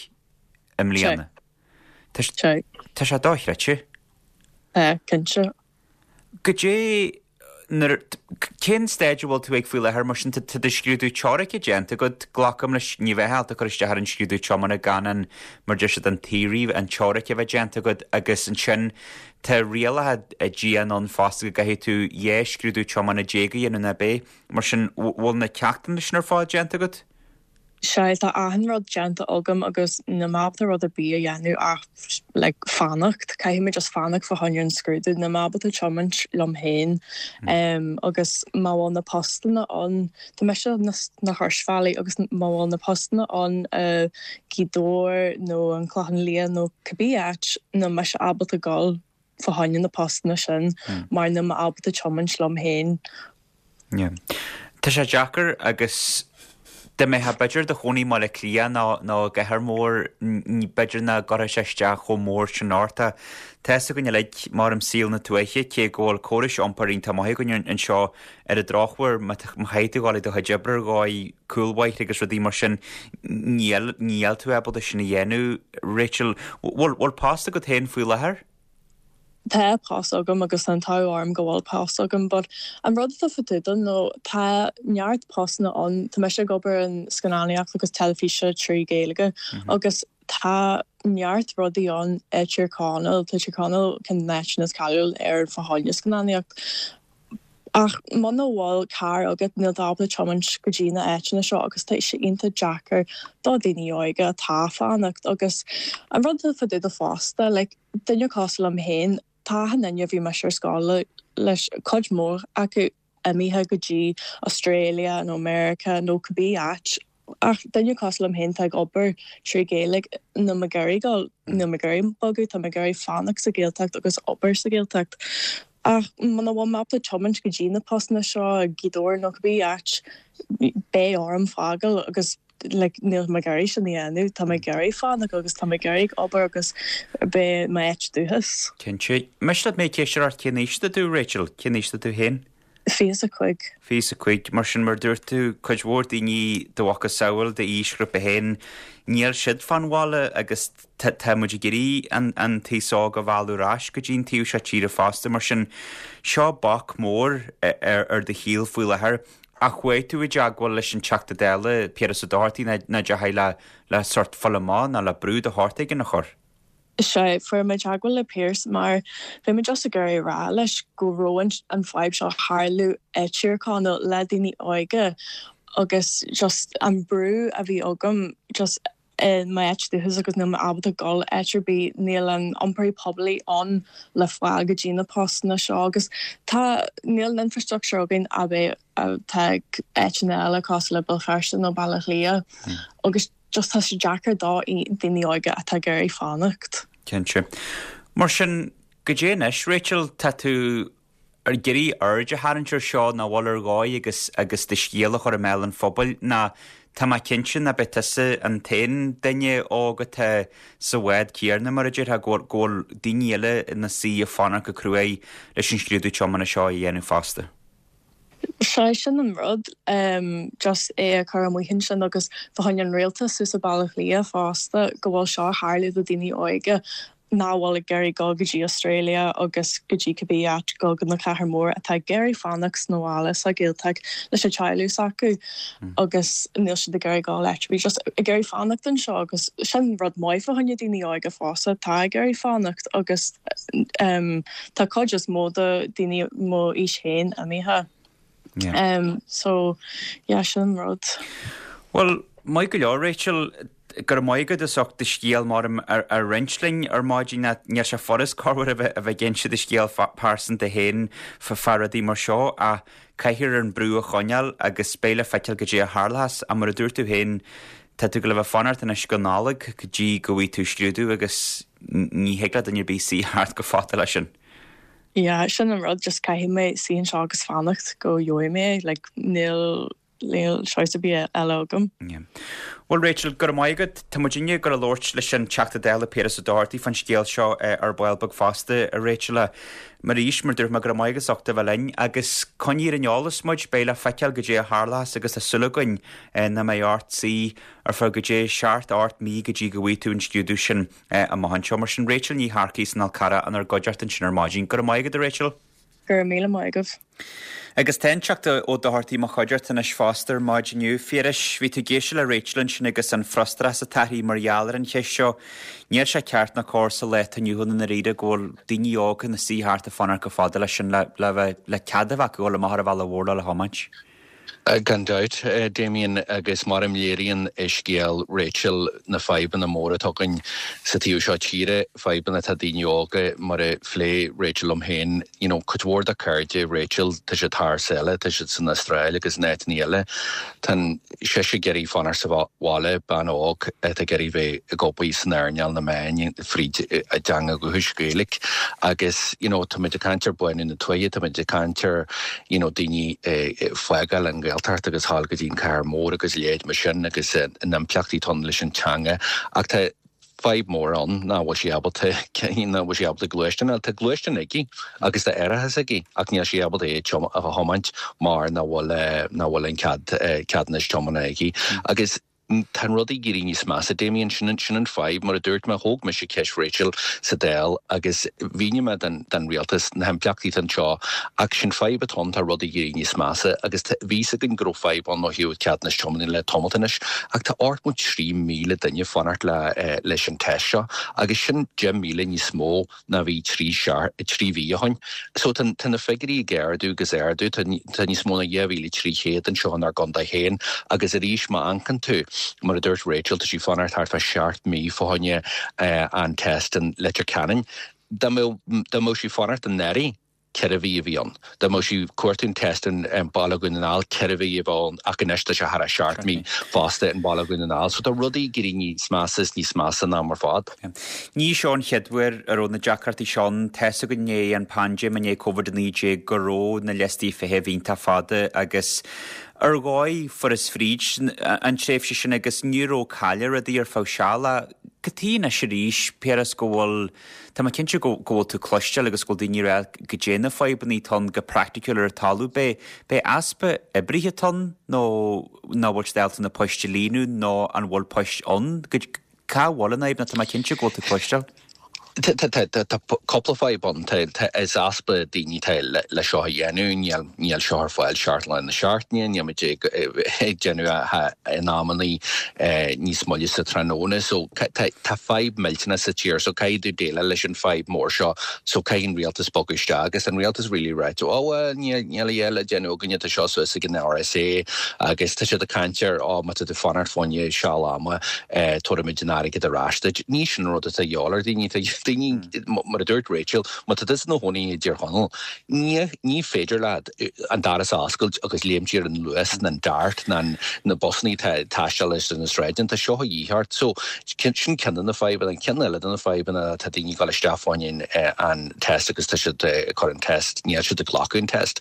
i mbliana. Tá sé dochreidte. Tá, cinnte. Goidé. Nuair, cén staid a bhfuil tú ag faoi láthair mar sin? Tá do scrúdú teoirice déanta agat, glacaim leis, ní bheifeá ábalta cur isteach ar an scrúdú tiomána gan an, mar deir siad, an theory, an teoiric a bheith déanta agat agus ansin tá rialacha dian ann fosta go gcaithfidh tú 12 scrúdú tiomána a dhéanamh nach ea? Mar sin, bhfuil na ceachtanna sin ar fad déanta agat? Sea, tá achan rud déanta agam agus níl mé ábalta rud ar bith a dhéanamh ach like fanacht. Caithfidh mé just fanacht fá choinne an scrúdú. Níl mé ábalta tiomáint liom féin agus má bhfuil na postanna ann, tá mise sna Croisbhealaí agus má bhfuil na postanna ann i Gaoth Dobhair nó an Clochán Liath nó cibé áit, níl mise ábalta dul fá choinne na postanna sin mar níl mé ábalta tiomáint liom féin. Yeah. Tá sé deacair agus dá mbeifeá b'fhéidir i do chónaí i mBaile Átha Cliath nó nó i gcathair mhór b'fhéidir nach gcuirfeadh sé isteach chomh mór sin ort. Tá a fhios againn uilig mar i saol na tuaithe cé go bhfuil córais iompair iontach maith againn anseo ar an drochuair má chaithfidh tú dhul ag do chuid oibre ar dhóigh cúlbhóithre agus rudaí mar sin níl níl tú ábalta sin a dhéanamh. Rachel, bhfuil bhfuil post agat féin faoi láthair? Tá post agam agus tá an t-ádh orm go bhfuil post agam but an rud atá fadúda nó tá neart postanna ann, tá mise ag obair in scannánaíocht agus teilifíse trí Ghaeilge agus tá neart rudaí ann i Tír Chonaill, tá Tír Chonaill ceann de na háiteanna is cáiliúil ar fá choinne scannánaíocht ach muna bhfuil carr agat níl tú ábalta tiomáint go dtí na áiteanna seo agus tá sé iontach deacair do daoine óga atá ag fanacht agus an rud atá fadúda fosta like duine cosúil liom féin, tá achan duine a bhí mise ar scoil leis, cuid mhór acu imithe go dtí Australia nó America nó cibé áit ach duine cosúil liom féin atá ag obair trí Ghaeilge, níl mé ag iarraidh dul, níl mé ag iarraidh bogadh, tá mé ag iarraidh fanacht sa Ghaeltacht agus obair sa Ghaeltacht. Ach muna bhfuil mé ábalta tiomáint go dtí na postanna seo i Gaoth Dobhair nó cibé áit, beidh orm fágáil agus like níl mé ag iarraidh sin a dhéanamh, tá mé ag iarraidh fanacht agus tá mé ag iarraidh obair agus bheith i m'áit dúchas. Cinnte. Miste leat mé ceistiú ort cén aois atá tú, Rachel? Cén aois atá tú féin? 25. 25. Mar sin, mar a dúirt tú, cuid mhór daoine do mhacasamhail d'aoisghrúpa féin, níl siad fán bhaile agus tá muid ag iarraidh an t-aos óg a mhealladh ar ais go dtí an taobh seo tíre fosta. Mar sin, seo bac mór ar do shaol faoi láthair. Ach chuaigh tú i dteagmháil leis an Teachta Dála, Piaras Ó Dochartaigh, nó deachaigh le le sórt fáil amach nó le brú de shórt éigin a chur? Sea, fuair mé teagmháil le Pearse mar bhí mé just ag iarraidh a rá leis go raibh an fadhb seo ag tarlú i Tír Chonaill le daoine óga agus just an brú a bhí agam just i m'áit dúchas agus níl mé ábalta dul áit ar bith, níl an iompar poiblí ann le fáil go dtí na postanna seo agus tá, níl an infrastructure againn a bheith, atá ag áiteanna eile cosúil le Béal Feirste nó Baile Átha Cliath agus just tá sé deacair do daoine óga atá ag iarraidh fanacht. Cinnte. Mar sin, goidé anois, Rachel, tá tú ag iarraidh aird a tharraingt ar seo nó bhfuil ar dhóigh agus agus do scéal a chur i mbéal an phobail nó tá mé cinnte ná beidh tusa an t-aon duine óg atá sa bhád céanna mar a déarfá go bhfuil go bhfuil daoine eile ina suí ag fanacht go cruaidh leis an scrúdú tiomána seo a dhéanamh fosta. Sea, sin an rud, just é a chur amuigh ansin agus fá choinne an rialtas thuas i Baile Átha Cliath fosta go bhfuil seo ag tarlú do daoine óige nach bhfuil ag iarraidh dul go dtí Australia agus go dtí cibé áit, dul go na cathair mór, atá ag iarraidh fanacht sna bhaile sa Ghaeltacht leis an teaghlach s'acu agus níl siad ag iarraidh dul áit ar bith, just ag iarraidh fanacht anseo agus sin rud maith fá choinne daoine óga fosta atá ag iarraidh fanacht agus tá cuid is mó de daoine mo aois féin imithe. So, yeah, sin an rud. Bhuel, maith go leor, Rachel. Go raibh maith agat as ucht do scéal mar a roinnt linn ar maidin. Níl sé furast corruair a bheith ag inse do scéal pearsanta féin fá rudaí mar seo ach caithfear an brú a choinneáil agus beidh le feiceáil goidé a tharlóchas. Ach mar a dúirt tú féin, tá tú ag gabháil a bheith ag fanacht anois go Nollaig go dtí go bhfaighidh tú scrúdú agus ní thig le duine ar bith suí thart go fada leis sin. Yeah, sin an rud, just caithfidh mé suí anseo agus fanacht go gheobhaidh mé é, like níl, níl choice ar bith eile agam. Yeah. Bhuel Rachel, go raibh maith agat. Tá muidinne ag gabháil a labhairt leis an Teachta Dála Piaras Ó Dochartaigh fán scéal seo ar ball beag fosta, a Rachel. Arís, mar dúirt mé, go raibh maith agat as ucht a bheith linn agus coinnigh ar an eolas muid, beidh le feiceáil goidé a tharlóchas agus tá súil againn nach mbeidh ort suí ar feadh goidé seacht, ocht mí go dtí go bhfaighidh tú an scrúdú sin. amach anseo. Mar sin, Rachel Ní Shearcaigh as an Fhál Carrach inár gcuideachta ansin ar maidin. Go raibh maith agat, a Rachel. Go raibh míle maith agaibh. Agus tá an Teachta Ó Dochartaigh i mo chuideachta anois fosta ar maidin inniu. Phiarais, bhí tú ag éisteacht le Rachel ansin agus an frustrachas atá uirthi mar gheall ar an cheist seo. Níl sé ceart ná cóir sa lá atá inniu ann i ndáiríre go bhfuil daoine óga ina suí thart ag fanacht chomh fada leis sin le le bheith le cead a bheith acu dul amach ar an bhealach mhór le le thiomáint. Gan dabht, Damien, agus mar a léiríonn scéal Rachel na fadhbanna móra atá againn sa taobh seo tíre, fadhbanna atá daoine óga, mar a phléigh Rachel liom féin, you know, cuid mhór de cairde Rachel, tá siad thar sáile, tá siad san Astráil agus in áiteanna eile. Tá sise ag iarraidh fanacht sa bhaile, bean óg atá ag iarraidh bheith ag obair san earnáil na meáin fríd a dteanga dhúchais Gaeilge agus, you know, táimid ag caint ar bánú na tuaithe, táimid ag caint ar you know daoine ag fágáil an Ghaeltacht agus thall go dtí an cathair mór agus a leithéid mar sin agus na himpleachtaí atá ann leis an teanga ach tá fadhb mór ann nach bhfuil sí ábalta nach bhfuil sí ábalta gluaisteán a fháil. Tá gluaisteán aici agus tá árachas aici ach níl sí ábalta é a thiomáint mar nach bhfuil nach bhfuil an cead ceadúnas tiomána aici agus Tá an rud ag éirí níos measa, Damien, sin an, sin an fadhb. Mar a dúirt mé, thóg mise ceist Rachel sa Dáil agus mhínigh mé don, don rialtas na himpleachtaí atá anseo ach sin fadhb atá ann, tá rudaí ag éirí níos measa agus tá, bhí fhios againn go raibh fadhb ann ó thaobh ceadúnas tiomána le tamalt anois ach tá 83,000 duine ag fanacht le, leis an test seo agus sin 10,000 níos mó ná bhí 3 mhí ó shoin. So tá tá na figiúirí ag ardú agus ardú, tá tá níos mó ná 2,300 anseo inár gcontae féin agus arís má amharcann tú, mar a dúirt Rachel, tá sí ag fanacht thart fá sheacht mí fá choinne an test in Leitir Ceanainn. Dá mbeadh dá mbeadh sí ag fanacht i nDoire, 4 mhí a bhí ann. Dá mbeadh sí ag cuartú an test i mBaile Dhún na nGall, 4 mhí a bheadh ann ach anois tá sé thar a 7 mí fosta i mBaile Dhún na nGall. So tá rudaí ag éirí níos measa is níos measa an am ar fad. Ní seo an chéad uair a raibh na deacrachtaí seo ann. Tá's againn i ndiaidh an paindéim, i ndiaidh Covid-19 go raibh na liostaí feithimh iontach fada agus ar dhóigh fuarthas fríd an tréimhse sin agus ní raibh cailleadh rudaí ar feadh seala. Cad chuige anois arís, Piaras, go bhfuil Tá mé cinnte go bhfuil tú ag cloisteáil agus go bhfuil daoine ag rá goidé na fadhbanna atá ann go praiticiúil ar an talamh. B'é b'é easpa oibrithe atá ann nó nach bhfuil siad ábalta na poist a líonadh nó an bhfuil poist ann? Cá bhfuil an fhadhb nó tá mé cinnte go bhfuil tú ag cloisteáil. Tá cúpla fadhb ann. Tá is easpa daoine atá le seo a dhéanamh. Níl níl seo ar fáil seacht lá na seachtaine, níl muid ag déanamh in amannaí níos moille sa tráthnóna. So tá fadhb millteanach sa tír so caithfidh tú déileáil leis an fadhb mór seo so caithfidh an rialtas bogadh isteach agus an rialtas really ráite oh well níl níl a dhath le déanamh againne tá seo suas ag an RSA agus tá siad ag caint ar oh má tá tú fanacht fá choinne seal ama tabharfaimid an airgead ar ais duit. Ní sin an rud atá a dhíobháil ar daoine tá daoine mar a dúirt Rachel má tá tusa i do chónaí i dTír Chonaill Ní, ní féidir leat an doras a oscailt agus léimt ar an Luas ná an Dart ná na busannaí atá ag taisteal ar na sráideanna. Tá seo a dhíth ort. So, sin ceann de na fadhbanna. An ceann eile de na fadhbanna, tá daoine ag dul isteach fá choinne an test agus tá siad ag cur an test, níl siad ag glacadh an test.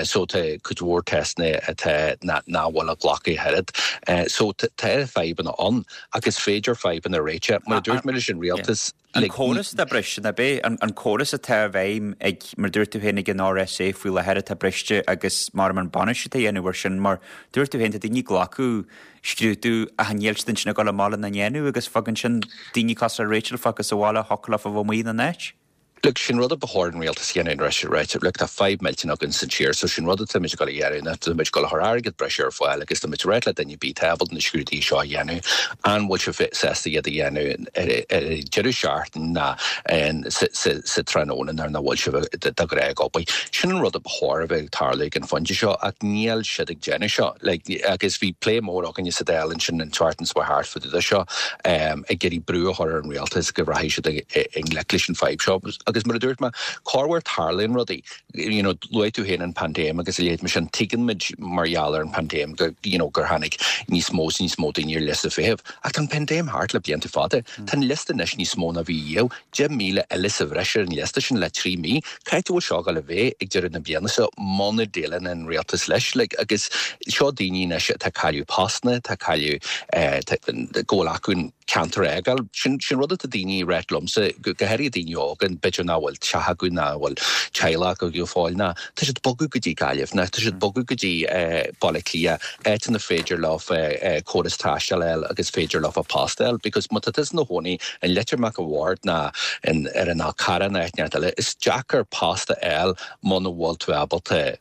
So, tá cuid mhór testanna atá, nach bhfuil á glacadh ach oiread. So, tá fadhbanna ann ach is féidir fadhbanna a réiteach. Mar a dúirt mé leis an rialtas, An córas atá briste, ná b'é an córas atá i bhfeidhm ag, mar dúirt tú féin, ag an RSA faoi láthair atá briste agus mar an bainistiú atá á dhéanamh air sin, mar dúirt tú féin, tá daoine ag glacadh scrúdú ach níl siad ansin ag dul amach lena ndéanamh agus fágann sin daoine cosúil le Rachel fágtha sa bhaile thiocfadh leofa bheith amuigh ina n-áit. Look, sin rud a ba chóir an rialtas a dhéanamh anois, right? Look, tá fadhb millteanach againn san tír, so sin rud atáimid ag dul a dhéanamh ná táimid ag dul a chur airgead breise ar fáil agus táimid ag ráit le duine ar bith atá ábalta na scrúduithe seo a dhéanamh, an bhfuil sibh sásta iad a dhéanamh ar an deireadh seachtaine ná sa tráthnóna nuair nach bhfuil sibh de ghnáth ag obair. Sin an rud a ba chóir a bheith ag tarlú ag an phointe seo ach níl siad ag déanamh seo. Like, agus bhí plé mór againne sa Dáil ansin an tseachtain seo thart fá dtaobh de seo, ag iarraidh brú a chur ar an rialtas go rachaidh siad i ngleic leis an fadhb seo. Agus mar a dúirt mé, corruair tarlaíonn rudaí. You know, luaigh tú féin an paindéim agus a leithéid mar sin, tuigeann muid mar gheall ar an paindéim go, you know, gur tháinig níos mó is níos mó daoine ar liosta feithimh. Ach tá an paindéim thart le blianta fada. Tá an liosta anois níos mó ná bhí riamh. 10,000 eile sa bhreis ar an liosta sin le 3 mí. Cá háit a bhfuil seo ag dul a bheith ag deireadh na bliana seo muna déileann an rialtas leis? Like, agus seo daoine anois atá ag cailleadh postanna, atá ag cailleadh, go bhfuil acu an. ceantar a fhágáil. Sin sin rud atá daoine ag ráit liomsa, go háirithe daoine óga, b'fhéidir nach bhfuil teach acu, nach bhfuil teaghlach acu go fóill, ná tá siad ag bogadh go dtí Gaillimh, ná tá siad ag bogadh go dtí Baile Átha Cliath, áit ina féidir leo córas taistil a fháil agus féidir leo post a fháil because má tá tusa ina chónaí in Leitir Mac a' Bhaird ná in ar an Fhál Carrach ná áit inteacht eile, is deacair post a fháil muna bhfuil tú ábalta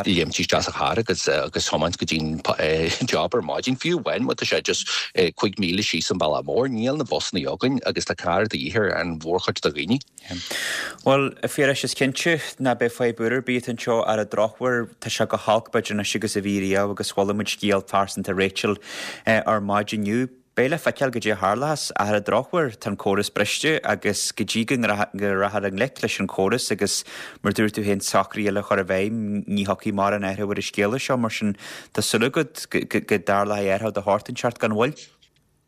léimt isteach sa charr agus agus tiomáint go dtí an job ar maidin, fiú amháin má tá sé just 5 míle síos an bealach mór, níl na busanna againn agus tá carr de dhíth ar an mhórchuid de dhaoine. Bhuel, a Phiarais, is cinnte ná beidh fadhb úr ar bith anseo ar an drochuair. Tá sé chomh holc b'fhéidir anois agus a bhí riamh agus chuala muid scéal pearsanta Rachel ar maidin inniu. Beidh le feiceáil goidé a tharlóchas ach ar an drochuair tá an córas briste agus go dtí go rachfar i ngleic leis an chóras agus mar dúirt tú féin socruithe eile a chur i bhfeidhm ní thiocfaidh mórán athrú ar an scéala seo mar sin tá súil agat go dtarlóidh athrú de shórt inteacht gan mhoill.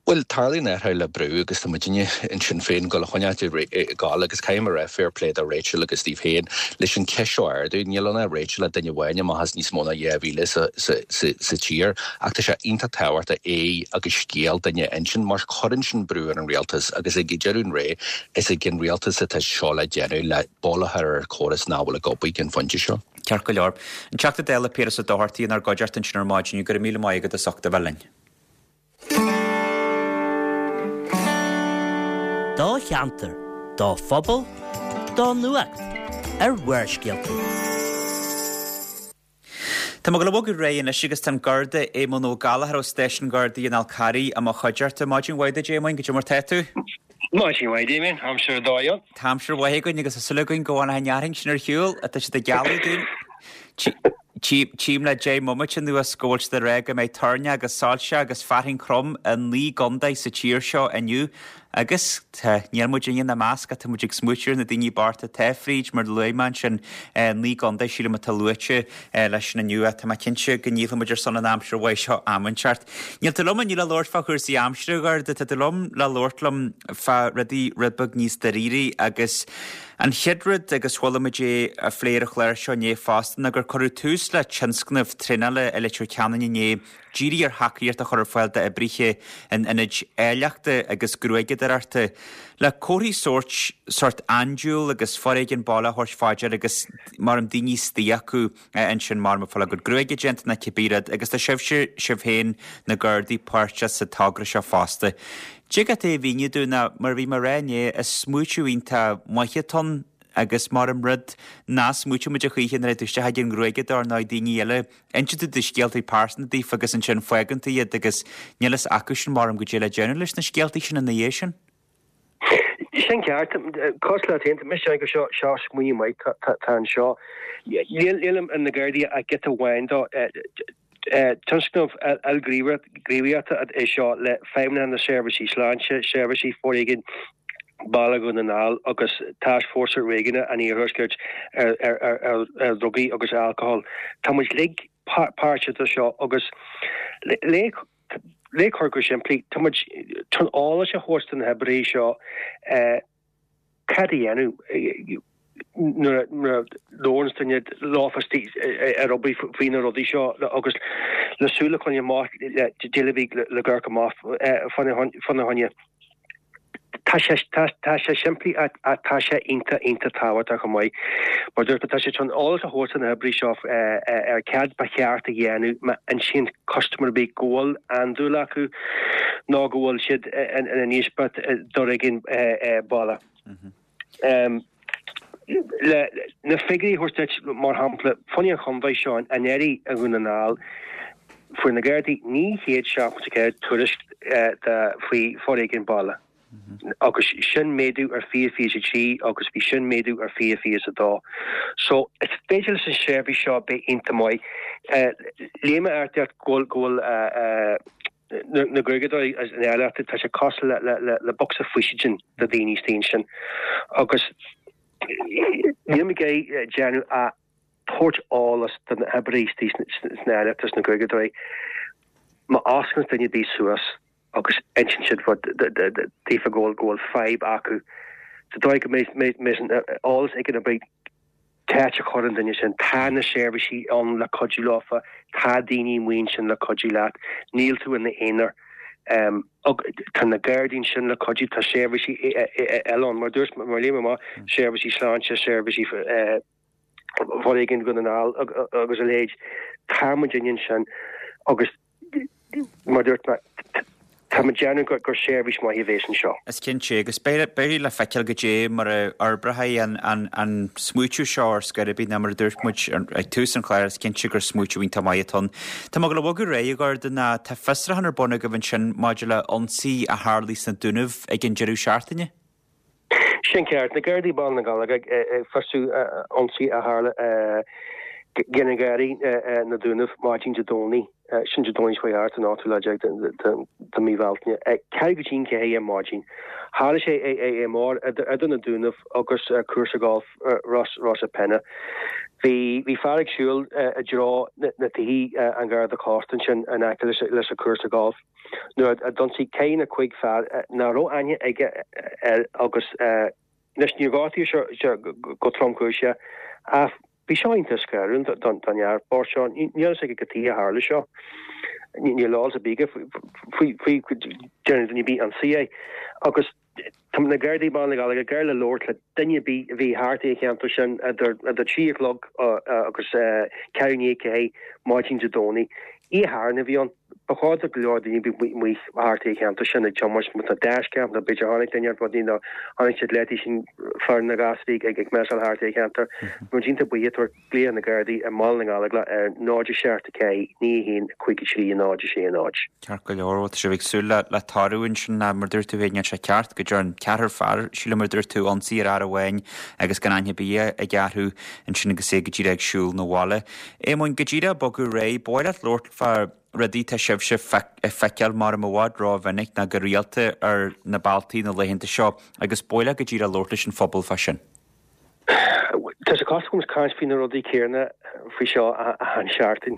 Bhuel, tarlaíonn athrú le brú agus tá muidinne in Sinn Féin ag dul a choinneáilt ag gabháil agus caithfidh mé a rá fair play do Rachel agus daoibh féin leis an cheist seo a ardú. Níl ann ach Rachel ach duine amháin amach as níos mó ná 2,000 sa tír ach tá sé iontach tábhachtach é agus scéal duine a insint mar cuireann sin brú ar an rialtas agus ag deireadh an lae is ag an rialtas atá seo le déanamh le bail a chur ar chóras nach bhfuil ag obair ag an phointe seo. Ceart go leor. An Teachta Dála Piaras Ó Dochartaigh inár gcuideachta ansin ar maidin. Go raibh míle maith agat as ucht a bheith linn. Do cheantar, do phobal, do nuacht ar Bharrscéalta. Tá muid ag dul a bhogadh ar aghaidh anois agus tá an Garda Éamonn Ó Gallchóir ó Stáisiún Gardaí an Fhál Carraigh i mo chuideachta. Maidin mhaith duit Éamoinn, goidé mar tá tú? Maidin mhaith Damien, aimsir ar dóigh ann. Tá aimsir mhaith againn agus tá súil againn go bhfanfaidh an fhearthainn sin ar shiúl, tá siad ag gealladh dúinn. Tchím le 10 mbomaite anuas go bhfuil siad ag rá go mbeidh toirneach agus soilse agus fearthainn throm i 9 gcontae sa tír seo inniu agus tá, níl muid ina measc ach tá muid ag smaoitiú ar na daoine bochta atá fríd mar luaigh mé ansin 9 gcontae sílim atá luaite leis sin inniu ach tá mé cinnte go ndíolfaidh muid ar son an aimsir mhaith seo am inteacht. Níl tú liom inniu le labhairt fá chúrsaí aimsire a Gharda, tá tú liom le labhairt liom fá rudaí rud beag níos dáiríre agus An chéad rud, agus chuala muid é á phlé ar an chlár seo inné fosta, ná gur cuireadh tús le tionscnamh traenála i Leitir Ceanainn inné, dírithe ar thacaíocht a chur ar fáil d'oibrithe in ionaid áilleachta agus gruaigeadóireachta, le comharthaí sóirt, sórt andúil agus foréigean baile a thabhairt fá dear agus mar am daoine istigh acu. ansin mar ag fáil a gcuid gruaige déanta ná cibé rud agus tá sibhse, sibh féin, na Gardaí, páirteach sa togra seo fosta. Dtig leat é a mhíniú dúinn ná, mar a bhí mé a rá inné, is smaoitiú iontach maith atá ann agus mar an rud nach smaoiteoidh muid a choíche nuair a théann tú isteach ag an ngruaigeadóir ná ag daoine eile, insíonn tú do scéaltaí pearsanta daofa agus ansin fágann tú iad agus níl fhios acu sin mar goidé le déanamh leis na scéaltaí sin ina dhiaidh sin. Sin ceart. Cosúil leat féin, tá mise ag seo seo smaoineamh maith tá anseo. Níl na Gardaí ach giota amháin dó. Tionscnamh ilghníomhaireachta é seo le Feidhmeannacht na Seirbhísí Sláinte, Seirbhísí Foréigin Baile Dhún na nGall agus Tascfhórsa Réigiúnach an Iarthuaiscirt ar Dhrugaí agus Alcól. Tá muid uilig páirteach de seo agus le Le cur go simplí, tá muid chun eolas a thabhairt do na hoibrithe seo cad a dhéanamh nuair a labhrann duine leofa ar obair faoi na rudaí seo agus le súil a choinneáil amach le daoine a bhí le amharc amach fána choinne. Tá sé, tá sé simplí ach tá sé iontach, iontach tábhachtach chomh maith. Mar dúirt mé, tá sé chun eolas a thabhairt do na hoibrithe seo ar cad ba cheart a dhéanamh má insíonn custaiméir ar bith go bhfuil andúil acu nó go bhfuil siad ina n-íospairt d'fhoréigean baile. Le na figiúirí a thabhairt duit, mar shampla, fá choinne an chontae seo anuraidh i nDún na nGall, fuair na Gardaí 974 tuairisc faoi foréigean baile agus sin méadú ar 2023 agus bhí sin méadú ar 2022. So is féidir leis an seirbhís seo bheith iontach maith. Léigh mé art go bhfuil na gruaigeadóirí agus an áilleacht, tá sé cosúil le bocsa faoistine do dhaoine istigh ansin. Agus níl mé ag iarraidh déanamh ach tabhairt eolas do na hoibrithe istigh sna áilleacht agus na gruaigeadóirí. Má osclaíonn duine ar bith suas agus insíonn siad daofa go bhfuil fadhb acu, sa dóigh go mbeidh an eolas ag an oibrí Áit a chur an duine sin. Tá na seirbhísí ann le cuidiú leofa, tá daoine amuigh ansin le cuidiú leat, níl tú ina aonar. Tá na Gardaí ansin le cuidiú, tá seirbhísí eile ann, mar dúirt, mar léigh mé amach, seirbhísí sláinte, seirbhísí foréigin Dhún na nGall agus a leithéid. Tá muidinne ansin agus mar dúirt mé, tá muid déanamh gur seirbhís maith a bhéas anseo. Is cinnte, agus beidh le feiceáil goidé mar a fhorbróidh an smaoitiú seo ar scor ar bith, ná mar a dúirt muid ag tús an chláir, is cinnte gur smaoitiú iontach maith atá ann. Tá mé ag dul a bhogadh ar aghaidh, a Ghorda, ná tá fiosrúchán ar bun agaibh ansin maidir le ionsaí a tharlaigh sna Dúnaibh ag an deireadh seachtaine. Sin ceart. Na Gardaí Baile na nGallóglach ag fiosrú ionsaí a tharla ag na Gardaí na Dúnaibh maidin Dé Domhnaigh, sin Dé Domhnaigh seo thart, an 18 lá de mí Bhealtaine, ceathrú go dtí an 4 ar maidin. Tharla sé i mbóthar idir na Dúnaibh agus cúrsa gailf Ros a' Penne. Bhí fear ag siúl i dtreo na tithe an Gharda Cósta ansin in aice leis an cúrsa gailf. nuair a d'ionsaigh ceithre nó cuig fear nach raibh aithne aige air agus anois níor gortaíodh sé go tromchúiseach ach bhí seo iontach scanrúil don fhear bocht seo. Níl a fhios aige cad chuige a tharla seo. Níl eolas ar bith aige faoi faoi go ndearna duine ar bith ionsaí air agus Tá na Gardaí Baile na nGallóglach ag iarraidh le labhairt le duine ar bith a bhí thart i cheantar sin idir 3 a chlog agus ceathrú i ndiaidh 4 maidin Dé Domhnaigh. Oíche Shathairn a bhí ann. Ba chóir do go leor daoine bheith amuigh thart i cheantar sin ag tiomáint má tá dash cam nó b'fhéidir chonaic duine rudaí nó chonaic siad leataobh sin fear na gasraí ag measáil thart i cheantar. Muid iontach buíoch tabhairt glaoch ar na Gardaí i mBaile na nGallóglach ar 0 7 4 9 1 5 3 0 6 0. Ceart go leor, bhuel tá sibh ag súil le toradh ansin mar dúirt tú féin, níl sé ceart go dtearn ceathrar fear, sílim mar dúirt tú, ionsaí ar fhear amháin agus gan aithne ar bith aige orthu ansin agus é go díreach ag siúl 'na bhaile. Éamoinn, go díreach bogadh ar aghaidh, ba mhaith leat labhairt fá rudaí tá sibhse ag feiceáil mar i bhfad rómhinic ná go rialta ar na bealtaí na laethanta seo agus ba mhaith leat go díreach labhairt leis an phobal fá sin. Tá sé cosúil go bhfuil muid ag caint faoi na rudaí céanna faoi seo achan seachtain.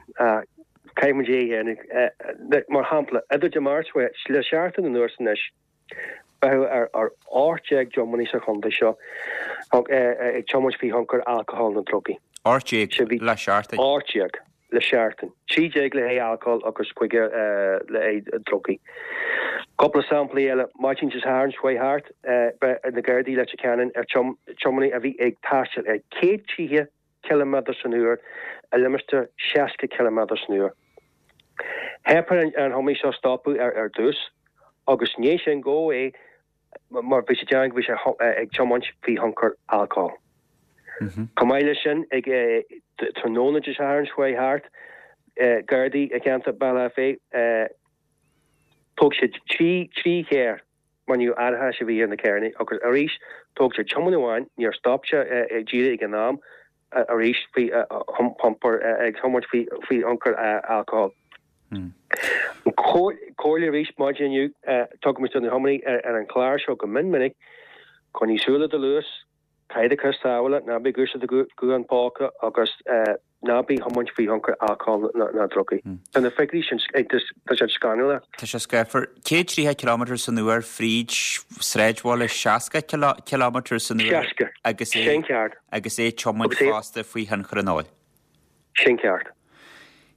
Caithfidh muid é a dhéanamh. Mar shampla, idir Dé Máirt le seachtain anuas anois, beitheadh ar 18 dtiománaí sa chontae seo ag tiomáint faoi thionchar alcohol nó drugaí. 18 le seachtain? 18. le seachtain. 13 le haghaidh alcóil agus cúigear le haghaidh drugaí. Cúpla samplaí eile, maidin Dé Sathairn seo chuaigh thart, breith na Gardaí Leitir Ceanainn ar tiománaí a bhí ag taisteal ar 130 ciliméadar san uair i limistéar 60 ciliméadar san uair. Theip ar an thiománaí seo stopadh ar dtús agus i ndiaidh sin gabhadh é mar bhí sé ag déanamh go bhí sé ag tiomáint faoi thionchar alcóil. Chomh maith leis sin, ag tráthnóna Dé Sathairn seo chuaigh thart, Gardaí i gceantar Bealach Féich, thóg siad 3 charr mar ní raibh árachas a bhí ar na carranna agus arís thóg siad tiománaí amháin, níor stop sé díreach ag an am, arís faoi iompar ag tiomáint faoi thionchar alcóil. Comhairle arís maidin inniu, tugaimid do na tiománaithe ar an chlár seo go mion minic, coinnigh súil ar do luas, caith do chos sábhála, ná bí ag úsáid do ghuthán póca agus ná bí ag tiomáint faoi thionchar alcóil ná drugaí. Tá na figiúirí sin, tá siad scanrúil. Tá sé scáfar. 130 ciliméadar san uair fríd sráidbhaile 60 ciliméadar san uair 60. agus é Sin ceart. agus é ag tiomáint Agus é. fosta faoi thionchar an óil. Sin ceart.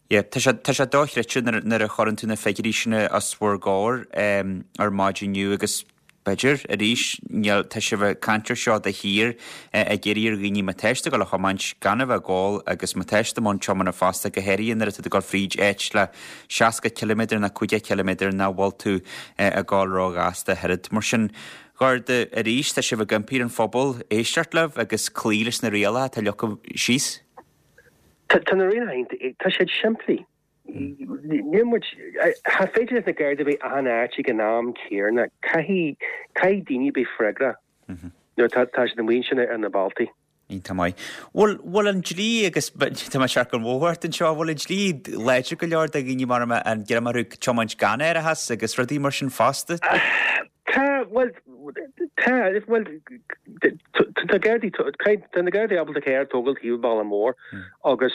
Yeah, tá sé, tá sé dochreidte nuair, nuair a chuireann tú na figiúirí sin os bhur gcomhair ar maidin inniu agus b'fhéidir, arís, níl, tá sibh ag caint ar seo de shíor, ag iarraidh ar dhaoine má tá siad ag dul a thiomáint gan a bheith ag ól agus má tá siad i mbun tiomána fosta, go háirithe nuair atá tú ag dul fríd áit le 60 ciliméadar nó 50 ciliméadar nach bhfuil tú ag dul róghasta ach oiread. Mar sin, a Ghorda, arís, tá sibh ag impí ar an phobal éisteacht libh agus cloí leis na rialacha atá leagtha síos. Tá na rialacha, tá siad simplí. Níl muid, cha féidir leis na Gardaí bheith achan áit ag an am céanna. Caithfidh, caithfidh daoine bheith freagrach nuair atá tá siad amuigh ansin ar na bealtaí. Iontach maith. Bhfuil, bhfuil an dlí agus tá mé ag searc an bhóthair ort anseo, bhfuil an dlí láidir go leor do dhaoine mar a an greim orthu tiomáint gan árachas agus rudaí mar sin fosta? Tá, bhuel, tá, bhuel, tá Gardaí, tá na Gardaí ábalta carr a tógáil taobh an bhealaigh mhóir agus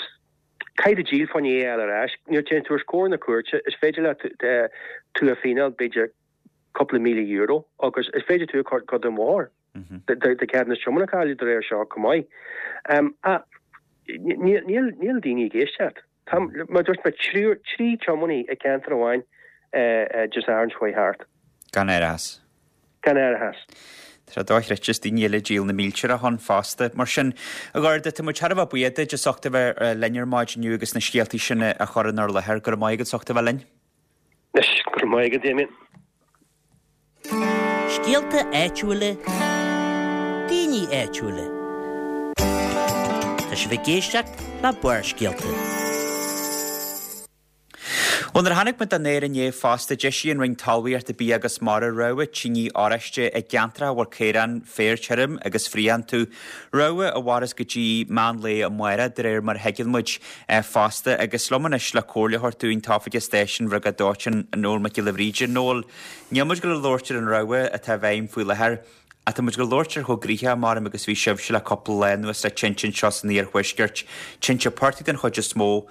Caithfidh tú díol fá choinne é a fháil ar ais. Nuair a téann tú os comhair na cúirte, is féidir leat tú a fíneáil b'fhéidir cúpla €1,000 agus is féidir tú a chur den bhóthar, do cheadúnas tiomána a chailleadh de réir seo chomh maith. Ach níl daoine ag éisteacht. Tá, mar dúirt mé, 3 tiománaí i gceantar amháin. Dé Sathairn seo chuaigh thart. Gan aireachas. Gan aireachas. Tá sé dochreidte, is daoine eile ag díol na mílte ann fosta. Mar sin, a Gharda, tá muid thar a bheith buíoch duit as ucht a bheith linn ar maidin inniu agus na scéaltaí sin a chur inár láthair. Go raibh maith agat as ucht a bheith linn. Anois, go raibh maith agat, Damien. Scéalta áitiúla, daoine áitiúla. Tá sibh ag éisteacht le Barrscéalta. Bhuel, nuair a chonaic muid an aer inné fosta, d'eisigh an Roinn Talmhaíochta, Bia agus Mara rabhadh tine oráiste i gceantracha a bhfuil caoráin, féar tirim agus fraoch iontu. Rabhadh a mhairfeas go dtí meán lae amárach, de réir mar a thuigeann muid fosta. Agus liom anois le comhairle a thabhairt dúinn, tá Oifigeach Stáisiún Bhriogáid Dóiteáin, Noel Mac Giolla Bhríde. Noel, níl muid ag dul a labhairt ar an rabhadh atá i bhfeidhm faoi láthair, ach tá muid ag dul a labhairt ar chomh gnoitheach, maram, agus a bhí sibhse le cúpla lá anuas le tinte anseo san iarthuaisceart. Tinte portaigh den chuid is mó.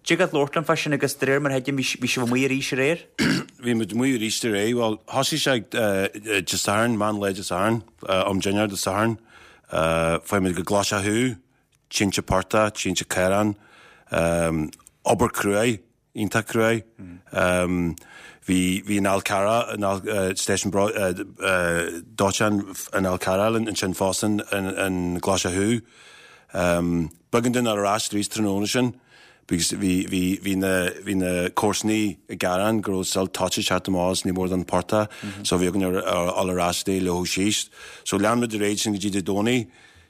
Dtig leat labhairt liom fá sin agus de réir mar a thuigim bhí sibh amuigh arís aréir? Bhí muid amuigh arís aréir. Bhuel, thosaigh sé Dé Sathairn, meán lae Dé Sathairn, am dinnéir Dé Sathairn. Fuair muid go Glaise Chú, tinte portaigh, tinte caorán, obair cruaidh, iontach cruaidh. Bhí, bhí an Fhál Carrach, an stáisiún dóiteáin an Fhál Carrach ansin fosta in Glaise Chú. B'éigean dúinn dul ar ais arís tráthnóna sin because bhí, bhí, bhí na, bhí na comharsanaí ag gearán go raibh silt toite ag teacht amach as ní mór don portach so bhí againn dul ar ais é a leothadh síos. So lean muid ar aghaidh sin go dtí Dé Domhnaigh.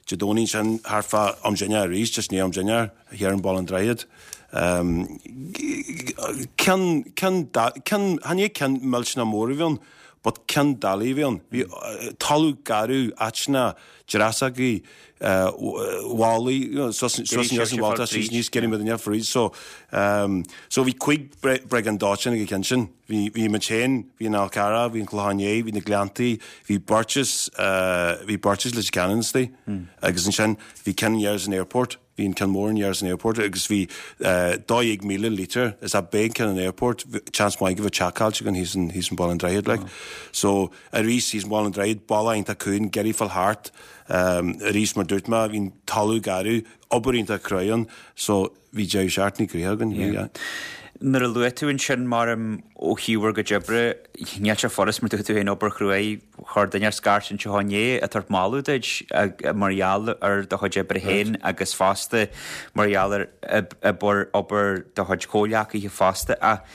Dé Domhnaigh ansin thart fá am dinnéir arís, just i ndiaidh am dinnéir, thiar in Baile an Droichid. Ceann, ceann, ceann, chan é ceann millteanach mór a bhí ann but ceann doiligh a bhí ann. Bhí talamh garbh, áiteanna dreasachaí, bhallaí, you know, suas aníos an bhalla, suas aníos, getting with enough for So, so bhí cuig briogáid dóiteáin ag an cheann sin. Bhí, bhí muid féin, bhí an Fhál Carrach, bhí an Clochán Liath, bhí na Gleanntaí, bhí beirt is, bhí beirt is Leitir Ceanainn istigh. Agus ansin bhí ceann thiar san airport. Bhí an ceann mór thiar san airport agus bhí 12,000 lítear is ab é an ceann an airport, chance maith go bhfuil teach caillte againn thíos in thíos in Baile an Droichid like. So arís thíos in Baile an Droichid, bealach iontach cúng, ag iarraidh fáil thart arís mar dúirt mé, bhí an talamh garbh, obair iontach cruaidh ann so bhí deireadh seachtaine gnoitheach againn, bhí yeah. Nuair a luaigh tú ansin, maram, ó thaobh bhur gcuid oibre, níl sé furast mar dúirt tú féin obair chruaidh, Chuir duine ar scairt anseo inné ag tabhairt moladh duit mar gheall ar do chuid oibre féin agus fosta mar gheall ar obair obair do chuid comhghleacaithe fosta. Ach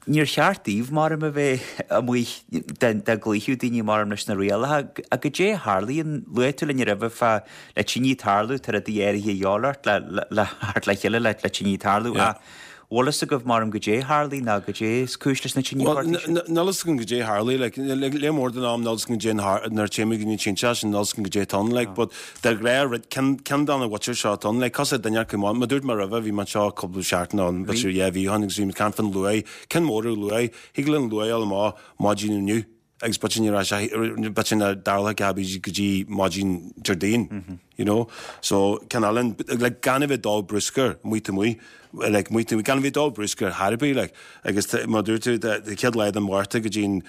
níor cheart daoibh, maram, a bheith amuigh dá gcloífeadh daoine, maram, leis na rialacha. Ach goidé a tharlaíonn? Luaigh tú linn roimhe fá le tine tarlú, tá rudaí áirithe a dhíobháil ort le le theacht le chéile le le tine tarlú. Ach bhfuil fhios agaibh, maram, goidé a tharlaigh ná goidé is cúis leis na tine portaigh sin? Níl fhios agam goidé a tharlaigh, like, lear mór den am níl fhios agam goidé nuair a téimid go dtí an tinte sin, níl fhios agam goidé atá ann, like, but de ghnáth rud, ceann, ceann de na mhuintir seo atá ann, like, cosúil le duine acu, mar dúirt mé roimhe, bhí mé anseo cúpla seachtain ó b'fhéidir dhá mhí ó shin agus bhí mé ag caint fán luaith, ceann mór ar luaith, thig le an luaith a fháil amach maidin inniu. agus b'fhéidir ní raibh sé, b'fhéidir nach dtarlódh a dhath go dtí maidin Déardaoin, you know. So, ceann eile, like, gan a bheith ag dó bruscair, amuigh taobh amuigh, like, amuigh taobh amuigh, gan a bheith ag dó bruscair thar ar bith, like. Agus mar a dúirt tú, the chéad lá den Mhárta go dtí an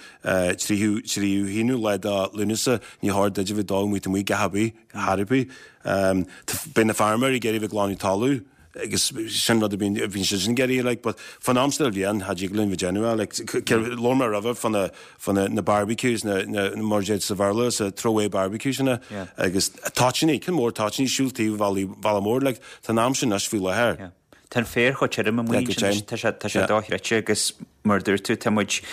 tríú, tríú haonú lá de Lúnasa, ní chóir duit a bheith ag dó amuigh taobh amuigh, dhath ar bith, thar ar bith. Beidh na feirmeoirí ag iarraidh a bheith ag glanadh talamh. agus sin rud a bhíonn bhíonn siad sin ag iarraidh like but fán am seo den bhliain cha dtig linn bheith déanamh é like labhair mé roimhe fá na fá na na barbecues na na mar a deir sa Bhéarla sa throwaway barbecues sin Yeah. agus toitíní ceann mór toitíní siúl taobh bhealaí bhealach mór like tá an am sin anois faoi láthair. Yeah. Tá an féar chomh tirim amuigh Yeah, go ansin anois, deimhin. tá sé tá sé Yeah. dochreidte agus mar a dúirt tú tá muid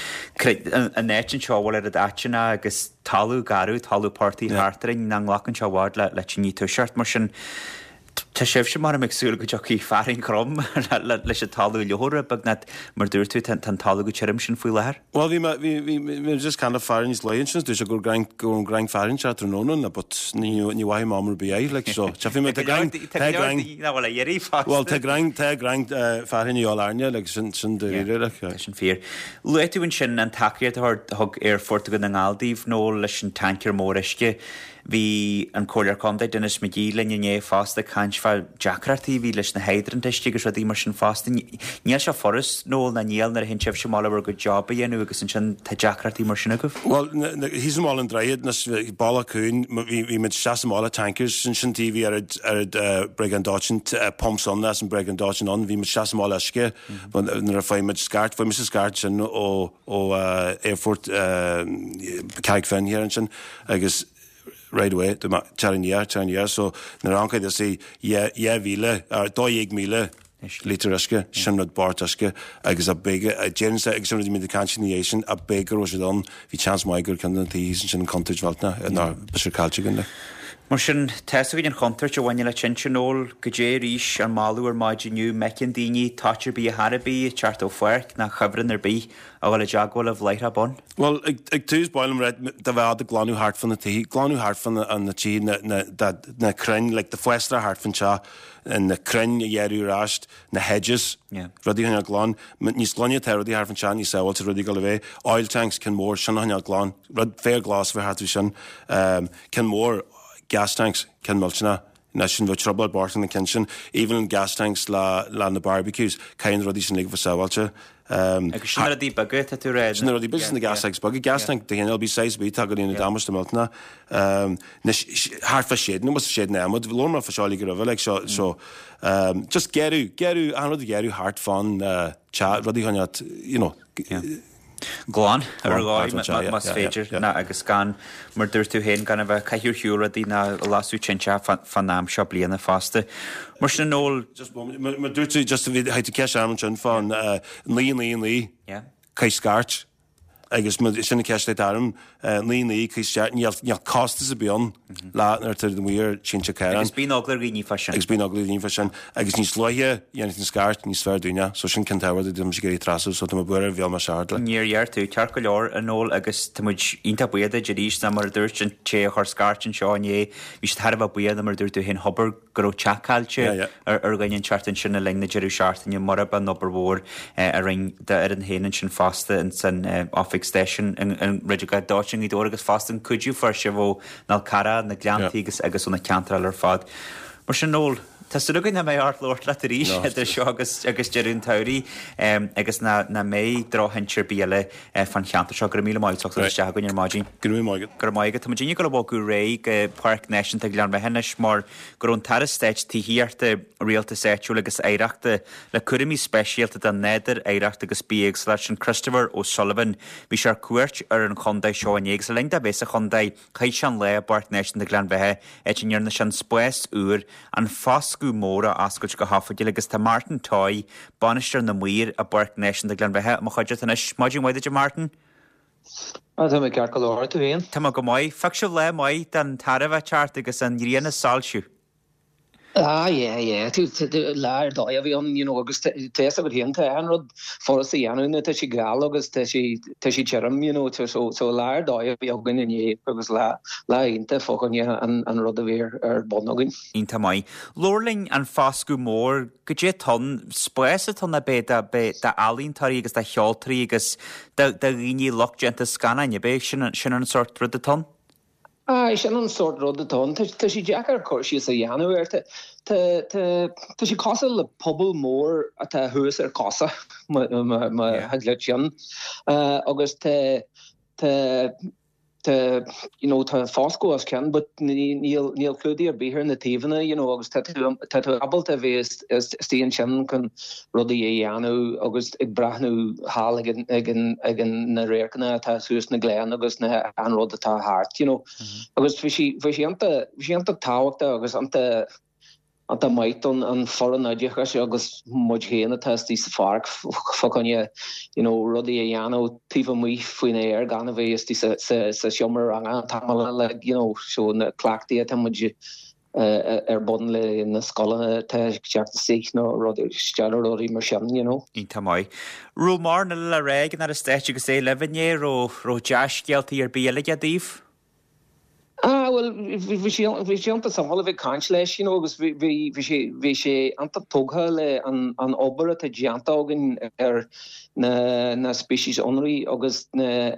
an áit anseo a bhfuil oiread áiteanna agus talamh garbh talamh portaigh Yeah. thart orainn nach nglacann sé i bhfad le le tine toiseacht mar sin Tá sibhse maram ag súil go dtiocfaidh fearthainn throm leis an talamh a fhliuchadh beagnach, mar a dúirt tú, tá an talamh chomh tirim sin faoi láthair. Bhuel, bhí mé, bhí, bhí, bhí mé just kind of fearthainn níos luaithe ansin, dúirt sé go raibh go raibh an ghráin fearthainn sé tráthnóna, na, but ní, ní mhaithfidh mé am ar bith é, like, so, tchífidh mé, tá gráin, Tá tá go leor gráin, daoine nach bhfuil á iarraidh fosta. bhuel, tá gráin, tá gráin fearthainn a dhíobháil orainne, like, sin, sin dáiríre, like. Tá sin fíor. Luaigh tú ansin an tacaíocht a thug Aerfort Dhún na nGall daoibh, Noel, leis an tancaer mór uisce. Bhí an Comhairleoir Contae Denis McGee linn inné fosta ag caint fá deacrachtaí a bhí leis na hydrant uisce agus rudaí mar sin fosta. Níl sé furast, Noel, ná níl nuair a théann sibhse amach le bhur gcuid job a dhéanamh agus ansin tá deacrachtaí mar sin agaibh. Bhuel, thíos i mBaile an Droichid, anois Bealach Cuain, bhí muid isteach sa mbaile, tankers, sin sin taobh bhí oiread oiread bréagán dóiteáin, pumps ann as an bréagán dóiteáin ann, bhí muid isteach sa mbaile uisce nuair a fuair muid scairt, fuair mise scairt ansin ó ó aerfort Carraig Finn thiar ansin agus right away dúirt mé tar aniar, tar aniar so nuair a amharc is 2,000 or 12,000 lítear uisce, sin rud bocht uisce agus a b'fhéidir, déarfainnse agus sin rud a bhí muid ag caint ina dhiaidh sin, a b'fhéidir go raibh siad ann, bhí chance maith gur ceann de na tithe thíos ansin an chontúirt mhillteanach ná beadh sé caillte againn like. Mar sin, tá's againn an chontúirt a bhaineann le tinte, Noel, goidé arís an moladh ar maidin inniu, má fheiceann daoine toit ar bith ar chor ar bith ag teacht ó pháirc ná cuibhreann ar bith, a dhul i dteagmháil libh láithreach bonn. Bhuel, ag tús, ba mhaith liom rá, do bheith ag glanadh thart fá na tithe, glanadh thart fá na tithe, na, na, na, na crainn, like, the fásra thart fán teach, na crainn a ghearradh ar ais, na hedges, Yeah. rudaí a choinneáil glan. Níos glaine atá rudaí thart fán teach, níos sábháilte rudaí ag dul a bheith. Oil tanks, ceann mór, sin a choinneáil glan. Rud, féar glas a bheith thart faoi sin. Um, ceann mór, gas tanks, ceann millteanach. Ná sin bheadh trioblóid bocht na cinn sin. Even an gas tanks le le na barbecues, caithfidh na rudaí sin uilig a bheith sábháilte. Agus sin na rudaí beaga atá tú a rá. Sin na rudaí beaga, sin na gas tanks beaga. Gas tank de chineál ar bith, size ar bith, tá go ndéanamh damáiste millteanach. Anois, thart fá seideanna, bhfuil seideanna adhmaid, labhair mé fá seo uilig roimhe, like, so, so, just gearradh, gearradh, achan rud a ghearradh thart fán teach, rudaí a choinneáil, you know, glan ar dhóigh más féidir ná agus gan, mar dúirt tú féin, gan a bheith ag caitheamh ar shiúl rudaí ná ag lasadh tinte fán am seo bliana fosta. Mar sin, Noel. Just moment, mar dúirt tú, just bhí tú ceist orm ansin fán 9 9 9, caith scairt agus sin an ceist atá orm, 9 9 caith scairt, níl costas ar bith ann le nuair atá tú amuigh ar tinte caorán. Agus bíonn eagla ar dhaoine fá sin. Agus bíonn eagla ar dhaoine fá sin. Agus níos luaithe a dhéanfaidh an scairt, níos fearr dúinne. So sin ceann tábhachtach a bhí mise ag iarraidh trasú, so tá mé buartha ar bheal mé seard le. Níor ghearr tú, ceart go leor, a Noel, agus tá muid iontach buíoch duit arís, ná mar a dúirt an té a chuir scairt anseo inné, bhí siad thar a bheith buíoch, ná mar a dúirt tú féin, thobar go raibh teach caillte ar dhuine inteacht ansin le linn na deireadh seachtaine, murab an obair mhór a rinne d'fhoireann féin ansin fosta ins an oifig stáisiúin i Rud Dóiteáin i nGaoth Dobhair agus fosta an cuidiú a fuair sibh ó An Fhál Carrach, na Gleanntaí agus agus ó na ceantair eile ar fad. Mar sin, Noel, tá súil againn nach mbeidh ort labhairt leat arís idir seo agus agus deireadh an tsamhraidh agus nach mbeidh drochthinte ar bith eile fán cheantar seo. Go raibh míle maith agat as ucht isteach chugainn ar maidin. Go raibh míle maith agat. Go raibh maith agat. Tá muid ag dul a bhogadh ar aghaidh go Páirc Náisiúnta Ghleann Bheatha anois mar go raibh an tAire Stáit Tithíochta, Rialtais Áitiúil agus Oidhreachta le cúraimí speisialta don nádúr, oidhreacht agus bithéagsúlacht, sin Christopher O'Sullivan. Bhí sé ar cuairt ar an chontae seo inné agus le linn dó bheith sa chontae chaith sé an lá i bPáirc Náisiúnta Ghleann Bheatha áit a ndearna sé an spás úr, An Foscadh Mór a oscailt go hoifigiúil agus tá Martin Toy, Bainisteoir na Maor i bPáirc Náisiúnta Ghleann Bheatha, i mo chuideachta anois. Maidin mhaith duit a Martin. Ah, tá mé ceart go leor, tú féin? Tá mé go maith. Phioc sibh lá maith don tarbh a teacht agus an ghrian ag soilsiú. Ah yeah, yeah, lá ar dóigh a bhí ann, you know, agus tá fhios agat féin, tá achan rud furast a dhéanamh nuair tá sé geal agus tá sé, tá sé tirim, you know, so, so lá ar dóigh a bhí againn inné agus lá, lá iontach fá choinne an, an rud a bhí ar, ar bun againn. Iontach maith. Labhair linn an Foscadh Mór, goidé atá ann, spás atá ann ab é do, d'ealaíontóirí agus do cheoltóirí agus do, do dhaoine lucht déanta scannáin, ab é sin, sin an sórt rud atá ann? Aye, sin an sórt rud atá ann. Tá sé deacair cur síos a dhéanamh air. Tá, tá, tá sé cosúil le puball mór atá thuas ar cosa, má thig leat sin. Agus tá, tá, tá, you know, tá foscadh os cionn but níl, níl clúdaigh ar bith ar na taobhanna, you know, agus tá tú, tá tú ábalta a bheith istigh ansin chun rudaí a dhéanamh agus ag breathnú thall ag an, ag an, ag an, na radharcanna atá suas na gleann agus na, an rud atá thart, you know. Agus bhí sé, bhí sé iontach, bhí sé iontach tábhachtach agus iontach, iontach maith don an foireann oideachais agus muid féin atá istigh sa pháirc fá choinne, you know, rudaí a dhéanamh taobh amuigh faoin aer gan a bheith istigh sa, sa, sa seomra ranga an t-am uile, like, you know, so na cleachtaí atá muid ar bun le na scoileanna atá ag teacht isteach nó rudaí rudaí mar sin, you know. Iontach maith. Raibh mórán eile le rá ag an Aire Stáit agus é libh inné, raibh raibh dea-scéaltaí ar bith eile aige daoibh? Ah, bhuel, bhí sé bhí sé iontach suimiúil a bheith ag caint leis, you know, agus bhí bhí bhí sé bhí sé iontach tógtha le an an obair atá déanta againn ar na na speicis ionraidh agus na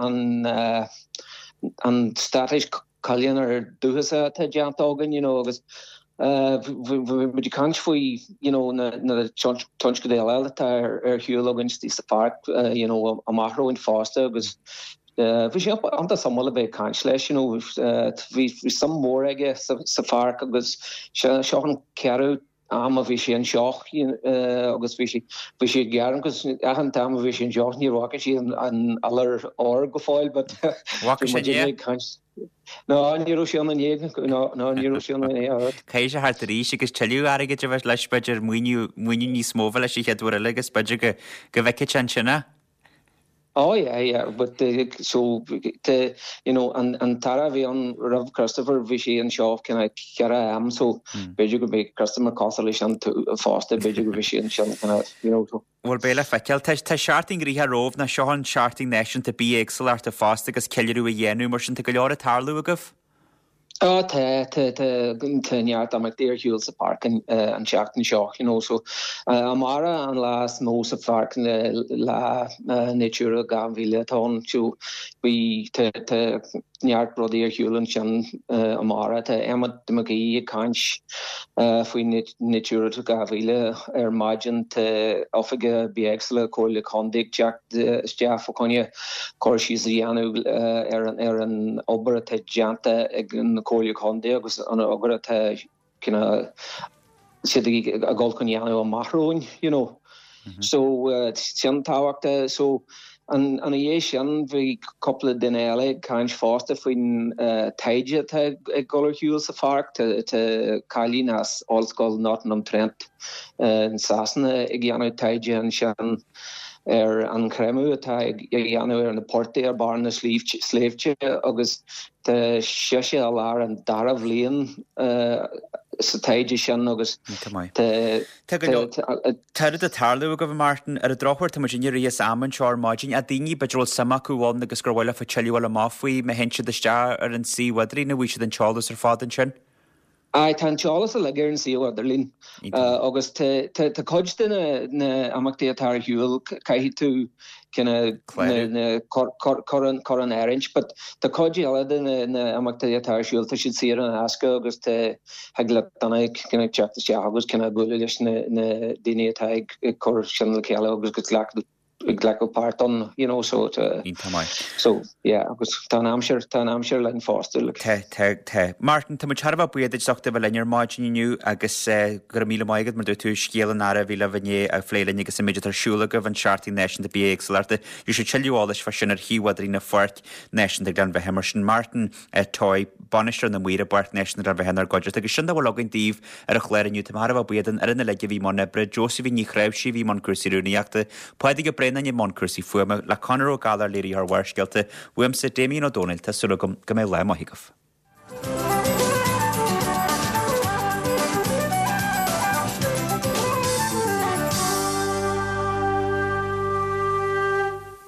an an straitéis. Coilleanna dúchasach atá déanta againn, you know, agus bhí muid ag caint faoi, you know, na tionscadail eile atá ar shiúl againn istigh sa pháirc, you know, amach romhainn fosta agus bhí sé iontach suimiúil a bheith ag caint leis, you know, bhí suim mhór aige sa pháirc agus seo an ceathrú am a bhí sé anseo agus bhí sé bhí sé ag gearán agus achan t-am a bhí sé anseo ní bhfaca sé an iolar ór go fóill but bhí muid ag caint No, ní raibh sé ann inné, no, no, ní raibh sé ann inné. Caithfidh sé theacht arís agus tuilleadh airgid a bheith leis b'fhéidir maoiniú maoiniú níos mó a bheith leis an chéad uair eile agus b'fhéidir go go bhfeicfidh sé ansin é. Oh yeah, yeah, but the, so, the, you know, an, an t-aire a bhí ann roimh Christopher, bhí sé anseo kind of ceithre am, so b'fhéidir go mbeidh Christopher cosúil leis sin fosta, b'fhéidir go mbeidh sé ansin kind of, you know, so. Bhuel, beidh le feiceáil. Tá, tá seachtain ghnoitheach romhaibh, nó seo an seachtain náisiúnta bithéagsúlachta fosta agus ceiliúradh á dhéanamh, mar sin tá go leor ag tarlú agaibh. Á tá, tá, tá, tá neart imeachtaí ar shiúl sa pháirc an, an tseachtain seo, you know, so amárach an lá is mó sa pháirc, lá Natura 2000 atá ann, so bhí, tá, tá neart rudaí ar shiúl ansin amárach. Tá Emmet McGee ag caint faoi Natura 2000 ar maidin, tá Oifigeach Bithéagsúlachta Comhairle Contae ag teacht isteach fá choinne cur síos a dhéanamh ar an obair atá déanta ag an Chomhairle Contae agus an obair atá siad ag dul chun dhéanamh amach romhainn, you know. So sin tábhachtach. So ina dhiaidh sin bhí cúpla duine eile ag caint fosta faoin taighde atá ag dul ar shiúl sa pháirc. Tá cailín as Ollscoil Nottingham Trent in Sasana ag déanamh taighde ansin. ar an chreimeadh atá á dhéanamh ar na portaigh ar barr na sléibhte agus tá sise i lár an dara bhliain sa taighde sin agus tá Tá go leor Tá rud ag tarlú agaibh, a Martin. Ar an drochuair, tá muid ag rith as am anseo ar maidin. Ach daoine, b'fhéidir a bhfuil suim acu ann agus gur mhaith leofa tuilleadh a fháil amach faoi, má théann siad isteach ar an suíomh idirlín, an bhfaighidh siad an t-eolas ar fad ansin? Aye, tá an t-eolas uilig ar an suíomh idirlín agus tá cuid de na imeachtaí atá ar shiúl, caithfidh tú kinda cur in áirithint, but tá cuid eile de na imeachtaí atá ar siúl, tá siad saor in aisce agus tá, thig le duine kinda teacht isteach agus kinda bualadh leis na daoine atá ag cur sin le chéile agus go glacadh ag glacadh páirt ann, you know, so tá, Iontach maith. so yeah, agus tá an aimsir, tá an aimsir linn fosta, like. Tá, tá, tá. Martin, tá muid thar a bheith buíoch duit as ucht a bheith linn ar maidin inniu agus eh, go raibh míle maith agat mar dúirt tú scéal an aire a bhí libh inné a phlé linn agus an méid atá ar siúl agaibh an Seachtain Náisiúnta Bithéagsúlachta. Gheobhaidh sibh tuilleadh eolais fá sin ar shuíomh idirlín na Pháirc Náisiúnta Ghleann Bheatha mar sin. Martin, Toy, Bainisteoir na Maoire i bPáirc Náisiúnta Ghleann Bheatha inár gcuideachta agus sin dá bhfuil againn daoibh ar an chlár inniu. Tá mé thar a bheith buíoch don fhoireann uilig a bhí i mbun oibre, Josephine Ní Chnáimhsí a bhí i mbun cúrsaí rúnaíochta, Pádraig Ó Braonáin i mbun cúrsaí fuaime, le Conor Ó Gallchóir léiritheoir Bharrscéalta, uaimse, Damien Ó Dónaill, tá súil agam go mbeidh lá maith agaibh.